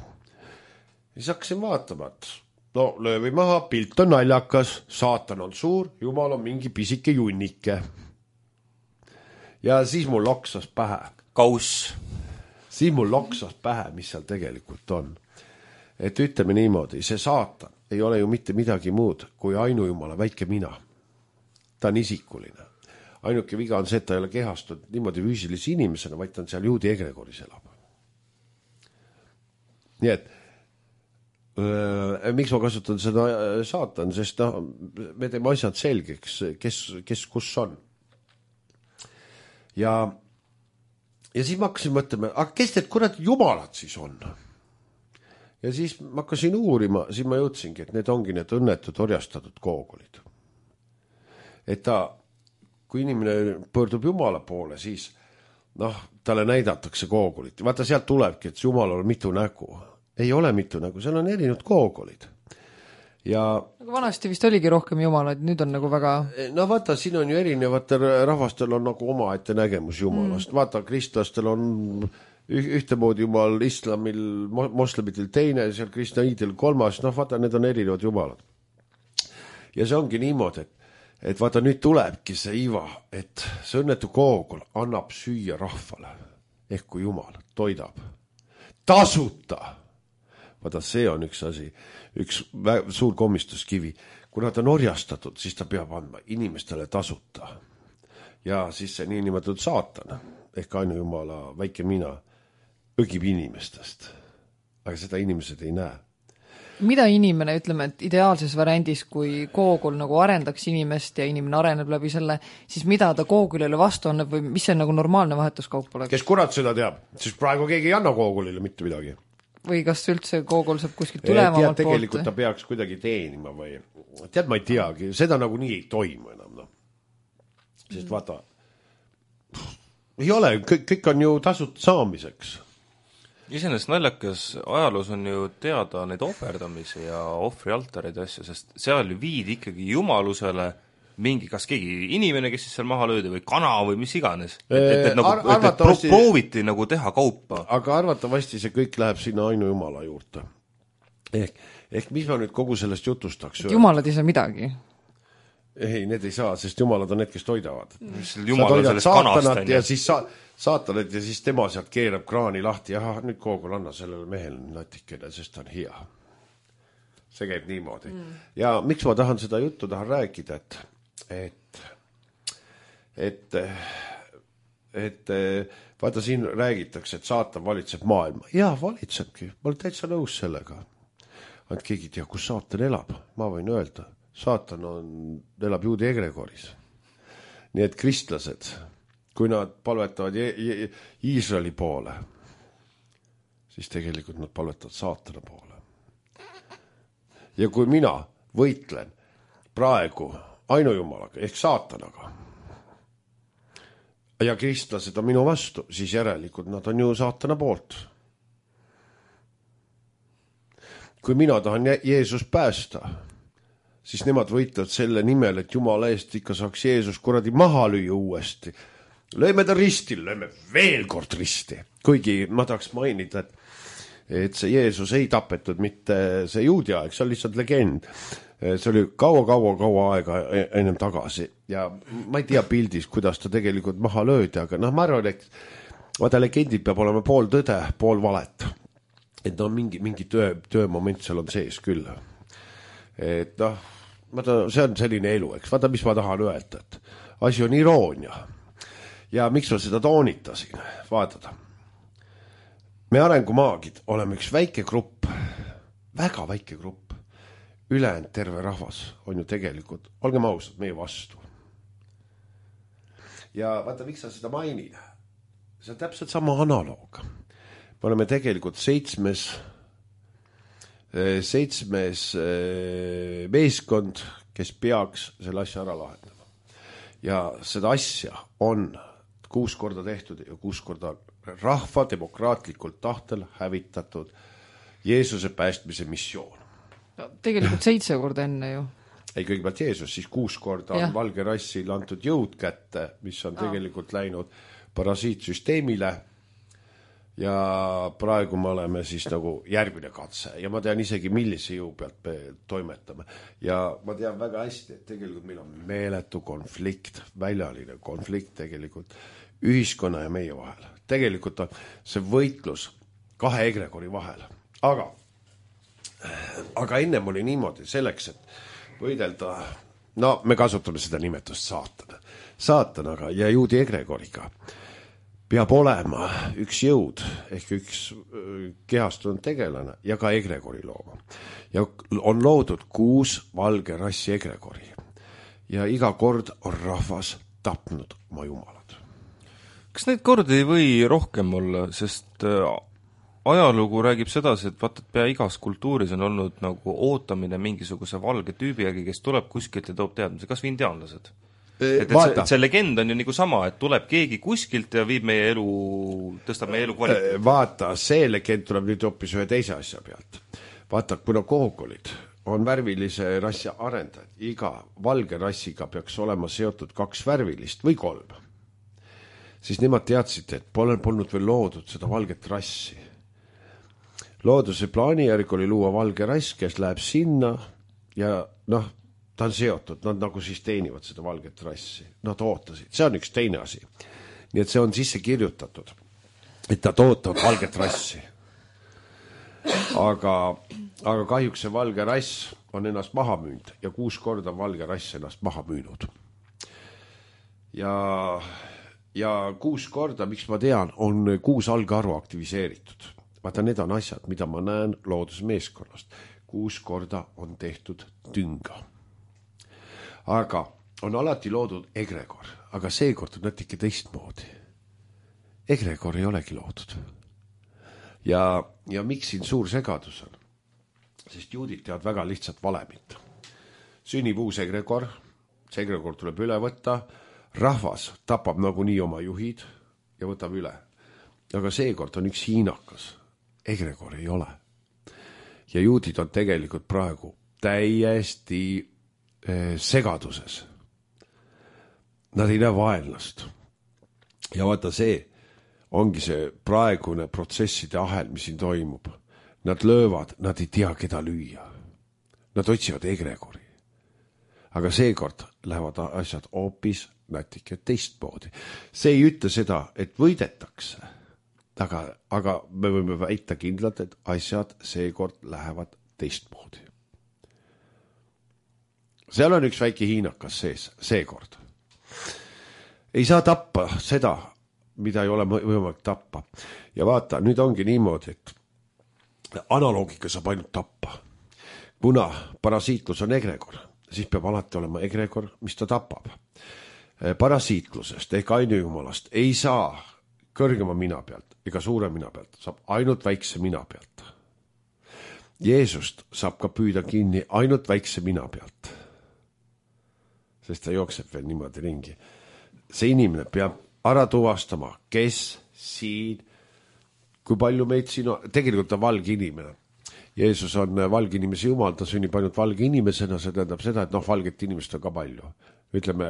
Siis hakkasin vaatama, et löövi maha, pilt on naljakas, saatan on suur, jumal on mingi pisike junnike. Ja siis mul loksas pähe. Kauss. Siis mul loksas pähe, mis seal tegelikult on. Et ütleme niimoodi, see saatan ei ole ju mitte midagi muud kui ainujumala väike mina. Ta on isikuline. Ainuke viga on see, et ta ei ole kehastunud niimoodi füüsilise inimesena, vaid ta on seal juudi egregoris elab. Nii et miks ma kasutan seda saatan, sest me teeme asjad selgeks, kes kus on. Ja siis ma hakkasin mõtlema, aga kes need kurad jumalad siis on? Ja siis ma hakkasin uurima, siis ma jõudsingi, et need ongi need õnnetud orjastatud koogolid. Et kui inimene pöördub jumala poole, siis talle näidatakse koogolit. Vaata, sealt tulebki, et jumalal on mitu nägu. Ei ole mitu nägu, seal on erinevad koogolid. Aga vanasti vist oligi rohkem jumalaid, nüüd on nagu väga... Vaata, siin on ju erinevatel rahvastel on nagu oma ette nägemus jumalast. Vaata, kristlastel on ühtemoodi jumal, islamil, moslemitel teine, seal kristnaidil kolmas, vaata, need on erinevad jumalad. Ja see ongi niimoodi, et vaata, nüüd tulebki see iva, et see õnnetu koogol annab süüa rahvale, ehk kui jumal toidab. Tasuta! Vaata, see on üks asi, üks suur komistuskivi. Kuna ta on orjastatud, siis ta peab andma inimestele tasuta. Ja siis see niinimetatud saatan, ehk ainujumala väike mina, õgib inimestest. Aga seda inimesed ei näe. Mida inimene, ütleme, et ideaalses variandis, kui koogul nagu arendaks inimest ja inimene areneb läbi selle, siis mida ta koogulile vastu annab või mis see nagu normaalne vahetuskaup oleks? Kes kurat seda teab? Siis praegu keegi ei anna koogulile mitte midagi. Või kas üldse koogul saab kuskilt tulevamalt poolt? Tegelikult ta peaks kuidagi teenima või... Tead, ma ei teagi, seda nagu nii ei toimu enam. Sest vaata, ei ole, kõik on ju tasut saamiseks. Iseenesest naljakas ajaloos on ju teada neid ohverdamise ja ohvrialtareid ja asju, sest seal ju viidi ikkagi jumalusele mingi, kas keegi inimene, kes siis seal maha löödi või kana või mis iganes. Et prooviti nagu teha kaupa. Aga arvatavasti see kõik läheb sinna ainujumala juurde. Ehk mis ma nüüd kogu sellest jutustaks? Jumalad ei saa midagi. Ei, need ei saa, sest jumalad on need, kes toidavad. Sa toidad saatanat ja siis saatanat ja siis tema sealt keerab kraani lahti. Jah, nüüd koogul anna sellele mehel natikene, sest ta on hea. See käib niimoodi. Ja miks ma tahan seda juttu rääkida, et vaata, siin räägitakse, et saatan valitseb maailma. Jaa, valitsebki. Ma olen täitsa nõus sellega. Ainult keegi tea, kus saatan elab. Ma võin öelda. Saatan elab juudi egregoris. Nii et kristlased, kui nad palvetavad Iisraeli poole, siis tegelikult nad palvetavad saatana poole. Ja kui mina võitlen praegu ainujumalaga ehk saatanaga ja kristlased on minu vastu, siis järelikult nad on ju saatana poolt. kui mina tahan Jeesus päästa, siis nemad võitlevad selle nimel, et Jumala eest ikka saaks Jeesus kuradi maha lüüa uuesti. Lööme ta ristil, lööme veel kord risti. Kuigi ma tahaks mainida, et see Jeesus ei tapetud mitte see juudi aeg, see on lihtsalt legend. See oli kaua aega ennem tagasi ja ma ei tea pildis, kuidas ta tegelikult maha löödi, aga ma arvan, et vaata legendid peab olema pool tõde, pool valet. Et mingi töömoment seal on sees küll. Et see on selline elu, eks. Vaata, mis ma tahan öelda, et asi on iroonia. Ja miks ma seda toonitasin? Vaatada. Me arengumaagid oleme üks väike grupp, väga väike grupp. Ülejäänud terve rahvas on ju tegelikult, olgem ausad, meie vastu. Ja vaata, miks sa seda mainin? See on täpselt sama analoog. Me oleme tegelikult seitsmes meeskond, kes peaks selle asja ära lahendama. Ja seda asja on 6 korda tehtud ja 6 korda rahva demokraatlikult tahtel hävitatud Jeesuse päästmise missioon. Tegelikult 7 korda enne ju. Ei, kõigepealt Jeesus, siis 6 korda on valge rassil antud jõud kätte, mis on tegelikult läinud parasiitsüsteemile ja praegu me oleme siis nagu järgmine katse ja ma tean isegi, millise jõu pealt me toimetame ja ma tean väga hästi, et tegelikult meil on meeletu konflikt, väljaline konflikt tegelikult ühiskonna ja meie vahel. Tegelikult on see võitlus 2 egregori vahel, aga ennem oli niimoodi selleks, et võidelda, me kasutame seda nimetust saatanaga ja juudi egregoriga. Peab olema üks jõud ehk üks kehastunud tegelane ja ka egregori looma. Ja on loodud 6 valge rassi egregori ja iga kord on rahvas tapnud oma jumalad. Kas neid kordi ei või rohkem olla, sest ajalugu räägib sedasi, et vaata, et pea igas kultuuris on olnud nagu ootamine mingisuguse valge tüübiägi, kes tuleb kuskilt ja toob teadmise, kas või indiaanlased. Et see legend on ju nagu sama, et tuleb keegi kuskilt ja viib meie elu, tõstab meie elu kvaliteet. Vaata, see legend tuleb nüüd hoopis ühe teise asja pealt. Vaata, kuna koogolid on värvilise rassi arendajad, iga valge rassiga peaks olema seotud 2 värvilist või 3. Siis nemad teadsid, et polnud veel loodud seda valget rassi. Looduse plaani järgi oli luua valge rass, kes läheb sinna ja ta on seotud, nad nagu siis teenivad seda valget rassi. Nad ootasid, see on üks teine asi. Nii et see on sisse kirjutatud, et nad ootavad valget rassi. Aga kahjuks see valge rass on ennast maha müünud ja 6 korda valge rass ennast maha müünud. Ja 6 korda, miks ma tean, on 6 algarvu aktiviseeritud. Vaata, need on asjad, mida ma näen loodusmeeskonnast. 6 korda on tehtud tünga. Aga on alati loodud egregor, aga seekord on natuke teistmoodi. Egregor ei olegi loodud. Ja miks siin suur segadus on? Sest juudid teavad väga lihtsalt valemit. Sünnib uus egregor, see egregor tuleb üle võtta, rahvas tapab nagunii oma juhid ja võtab üle. Aga seekord on üks hiinakas. Egregor ei ole. Ja juudid on tegelikult praegu täiesti segaduses. Nad ei näe vaenlast. Ja vaata, see ongi see praegune protsesside ahel, mis siin toimub. Nad löövad, nad ei tea, keda lüüa. Nad otsivad egregori. Aga seekord lähevad asjad hoopis natuke teistmoodi. See ei ütle seda, et võidetakse. Aga me võime väita kindlalt, et asjad seekord lähevad teistmoodi. Seal on üks väike hiinakas sees, seekord. Ei saa tappa seda, mida ei ole võimalik tappa. Ja vaata, nüüd ongi niimoodi, et analoogika saab ainult tappa. Kuna parasiitlus on egregor, siis peab alati olema egregor, mis ta tapab. Parasiitlusest ehk ainujumalast ei saa kõrgema mina pealt ega suure mina pealt, saab ainult väikse mina pealt. Jeesust saab ka püüda kinni ainult väikse mina pealt. Sest ta jookseb veel niimoodi ringi. See inimene peab ära tuvastama, kes siin, kui palju meid siin on, tegelikult on valge inimene. Jeesus on valge inimese jumal, ta sünnib ainult valge inimesena, see tähendab seda, et valget inimest on ka palju. Ütleme,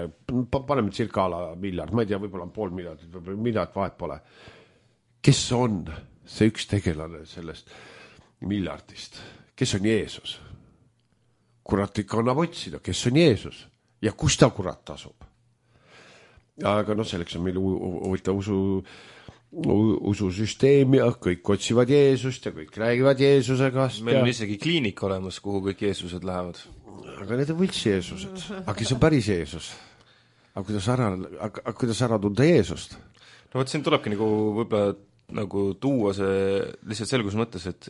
paneme circa miljard, ma ei tea, võib-olla on 500 000, võib-olla miljard, vahet pole. Kes on see üks tegelane sellest miljardist? Kes on Jeesus? Kurat ikka annab otsida, kes on Jeesus ja kus ta kurat asub. Aga selleks on meil huvitav ususüsteem ja kõik otsivad Jeesust ja kõik räägivad Jeesusega. Meil on isegi kliinik olemas, kuhu kõik Jeesused lähevad. Aga need on võlts Jeesused. Aga kes on päris Jeesus? Aga kuidas ära tunda Jeesust? No võt siin tulebki võib-olla tuua see lihtsalt selgus mõttes, et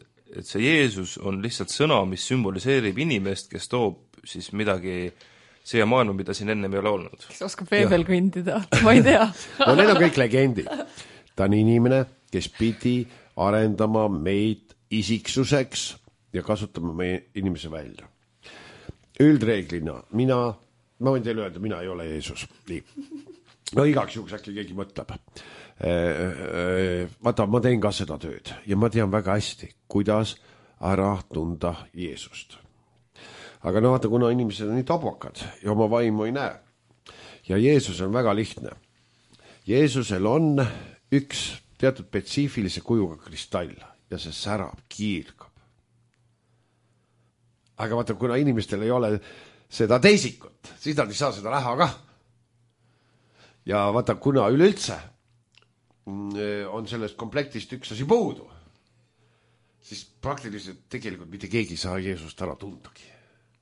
see Jeesus on lihtsalt sõna, mis sümboliseerib inimest, kes toob siis midagi siia maailma, mida siin ennem ei ole olnud. Kes oskab veebel kõndida, ma ei tea. No need on kõik legendid. Ta on inimene, kes pidi arendama meid isiksuseks ja kasutama meie inimese välja. Üldreeglina, ma võin teile öelda, mina ei ole Jeesus. Nii. No igaks juhuks äkki keegi mõtleb. Vaata, ma teen ka seda tööd ja ma tean väga hästi, kuidas ära tunda Jeesust. Aga vaata, kuna inimesed on nii tabakad ja oma vaimu ei näe. Ja Jeesus on väga lihtne. Jeesusel on üks teatud spetsiifilise kujuga kristall ja see särab, kiirgab. Aga vaata, kuna inimestel ei ole seda teisikut, siis nad ei saa seda näha ka. Ja vaata, kuna üleüldse on sellest komplektist üks asi puudu, siis praktiliselt tegelikult mitte keegi ei saa Jeesust ära tundagi.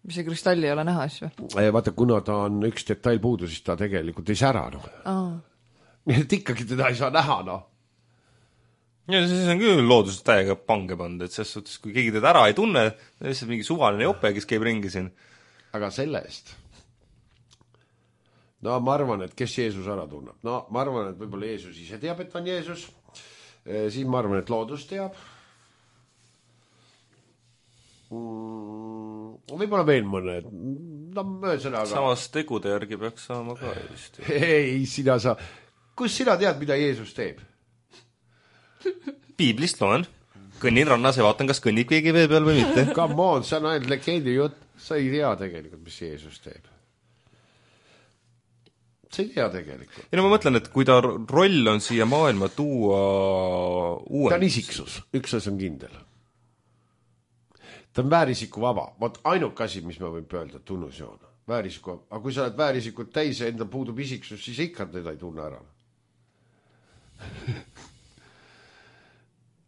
Mis see kristalli ei ole näha asju? Vaata, kuna ta on üks detail puudu, siis ta tegelikult ei sära. Nii et ikkagi teda ei saa näha, Ja siis on küll loodusest täiega pange pand, et selles suhtes, kui keegi teda ära ei tunne, lihtsalt mingi suvaline jope, kes käib ringi siin. Aga selle eest. Ma arvan, et kes Jeesus ära tunneb. Ma arvan, et võib-olla Jeesus ise teab, et on Jeesus. Siis ma arvan, et loodus teab. Võib-olla veel mõned. Samas tegude järgi peaks saama ka just. Ei, sina sa. Kus sina tead, mida Jeesus teeb? Piiblist loen. Kõnnin rannas ja vaatan, kas kõnnib keegi vee peal või mitte. Come on, see on ainult legendi jutt. Sa ei tea tegelikult, mis Jeesus teeb. Sa ei tea tegelikult. Ja ma mõtlen, et kui ta roll on siia maailma tuua uuendus. Ta on isiksus. Üks asi on kindel. Ta on väärisiku vaba. Vaat ainuk asi, mis ma võin öelda, tunnusjoon. Väärisiku vaba. Aga kui sa oled väärisikut täis ja enda puudub isiksus, siis ikka teda ei tunne ära.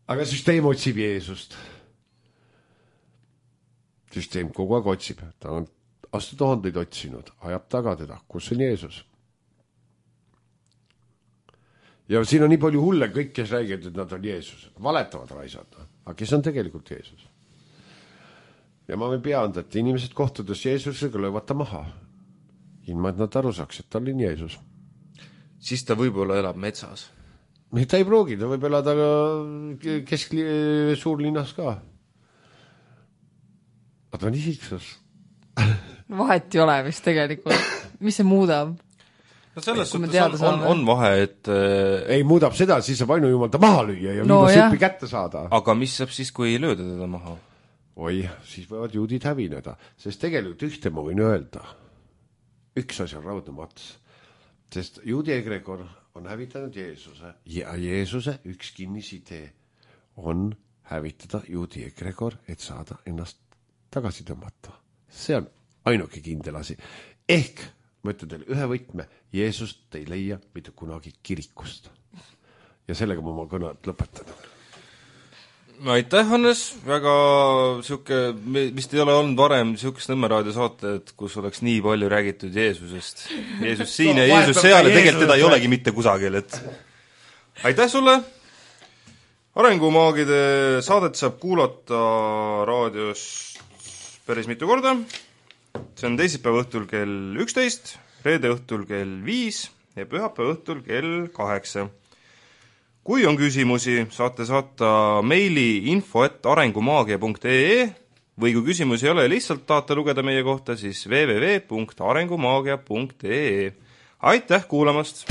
Aga süsteem otsib Jeesust. Süsteem kogu aeg otsib. Ta on aastatuhandeid otsinud. Ajab taga teda. Kus on Jeesus? Ja siin on nii palju hulle kõik, kes räägivad, et nad on Jeesus. Valetavad raisad. Aga kes on tegelikult Jeesus? Ja ma võin peanda, et inimesed kohtudes Jeesusega löövad ta maha. Ilma, et nad aru saaks, et ta on Jeesus. Siis ta võib-olla elab metsas. Ta ei pruugi, ta võib elada suurlinnas ka. Aga ta on isiksus. Vahet ei ole vist tegelikult. Mis see muudab? No selles suhtes on vahe, et ei muudab seda, siis saab ainu jumal ta maha lüüa ja süppi kätte saada. Aga mis saab siis, kui ei lööda teda maha? Oi, siis võivad juudid hävineda. Sest tegelikult ühte ma võin öelda. Üks asi on raudne mats. Sest juudi egregor on hävitanud Jeesuse ja Jeesuse üks kinnisidee on hävitada juudi egregor, et saada ennast tagasi tõmmata. See on ainuke kindel asi. Ehk, ma ütlen teile ühe võtme, Jeesust ei leia mitte kunagi kirikust. Ja sellega ma oma kõned lõpetan. Aitäh, Hannes, väga siuke, vist ei ole olnud varem siukest Nõmme saated, kus oleks nii palju räägitud Jeesusest. Jeesus siin ja Jeesus seal ja tegelikult teda ei olegi mitte kusagil, et aitäh sulle! Arengumaagide saadet saab kuulata raadios päris mitu korda. See on teisipäeva õhtul kell 11, reede õhtul kell 5 ja pühapäeva õhtul kell 8. Kui on küsimusi, saate saata meili info@arengumaagia.ee või kui küsimusi ei ole, lihtsalt tahate lugeda meie kohta, siis www.arengumaagia.ee. Aitäh kuulamast!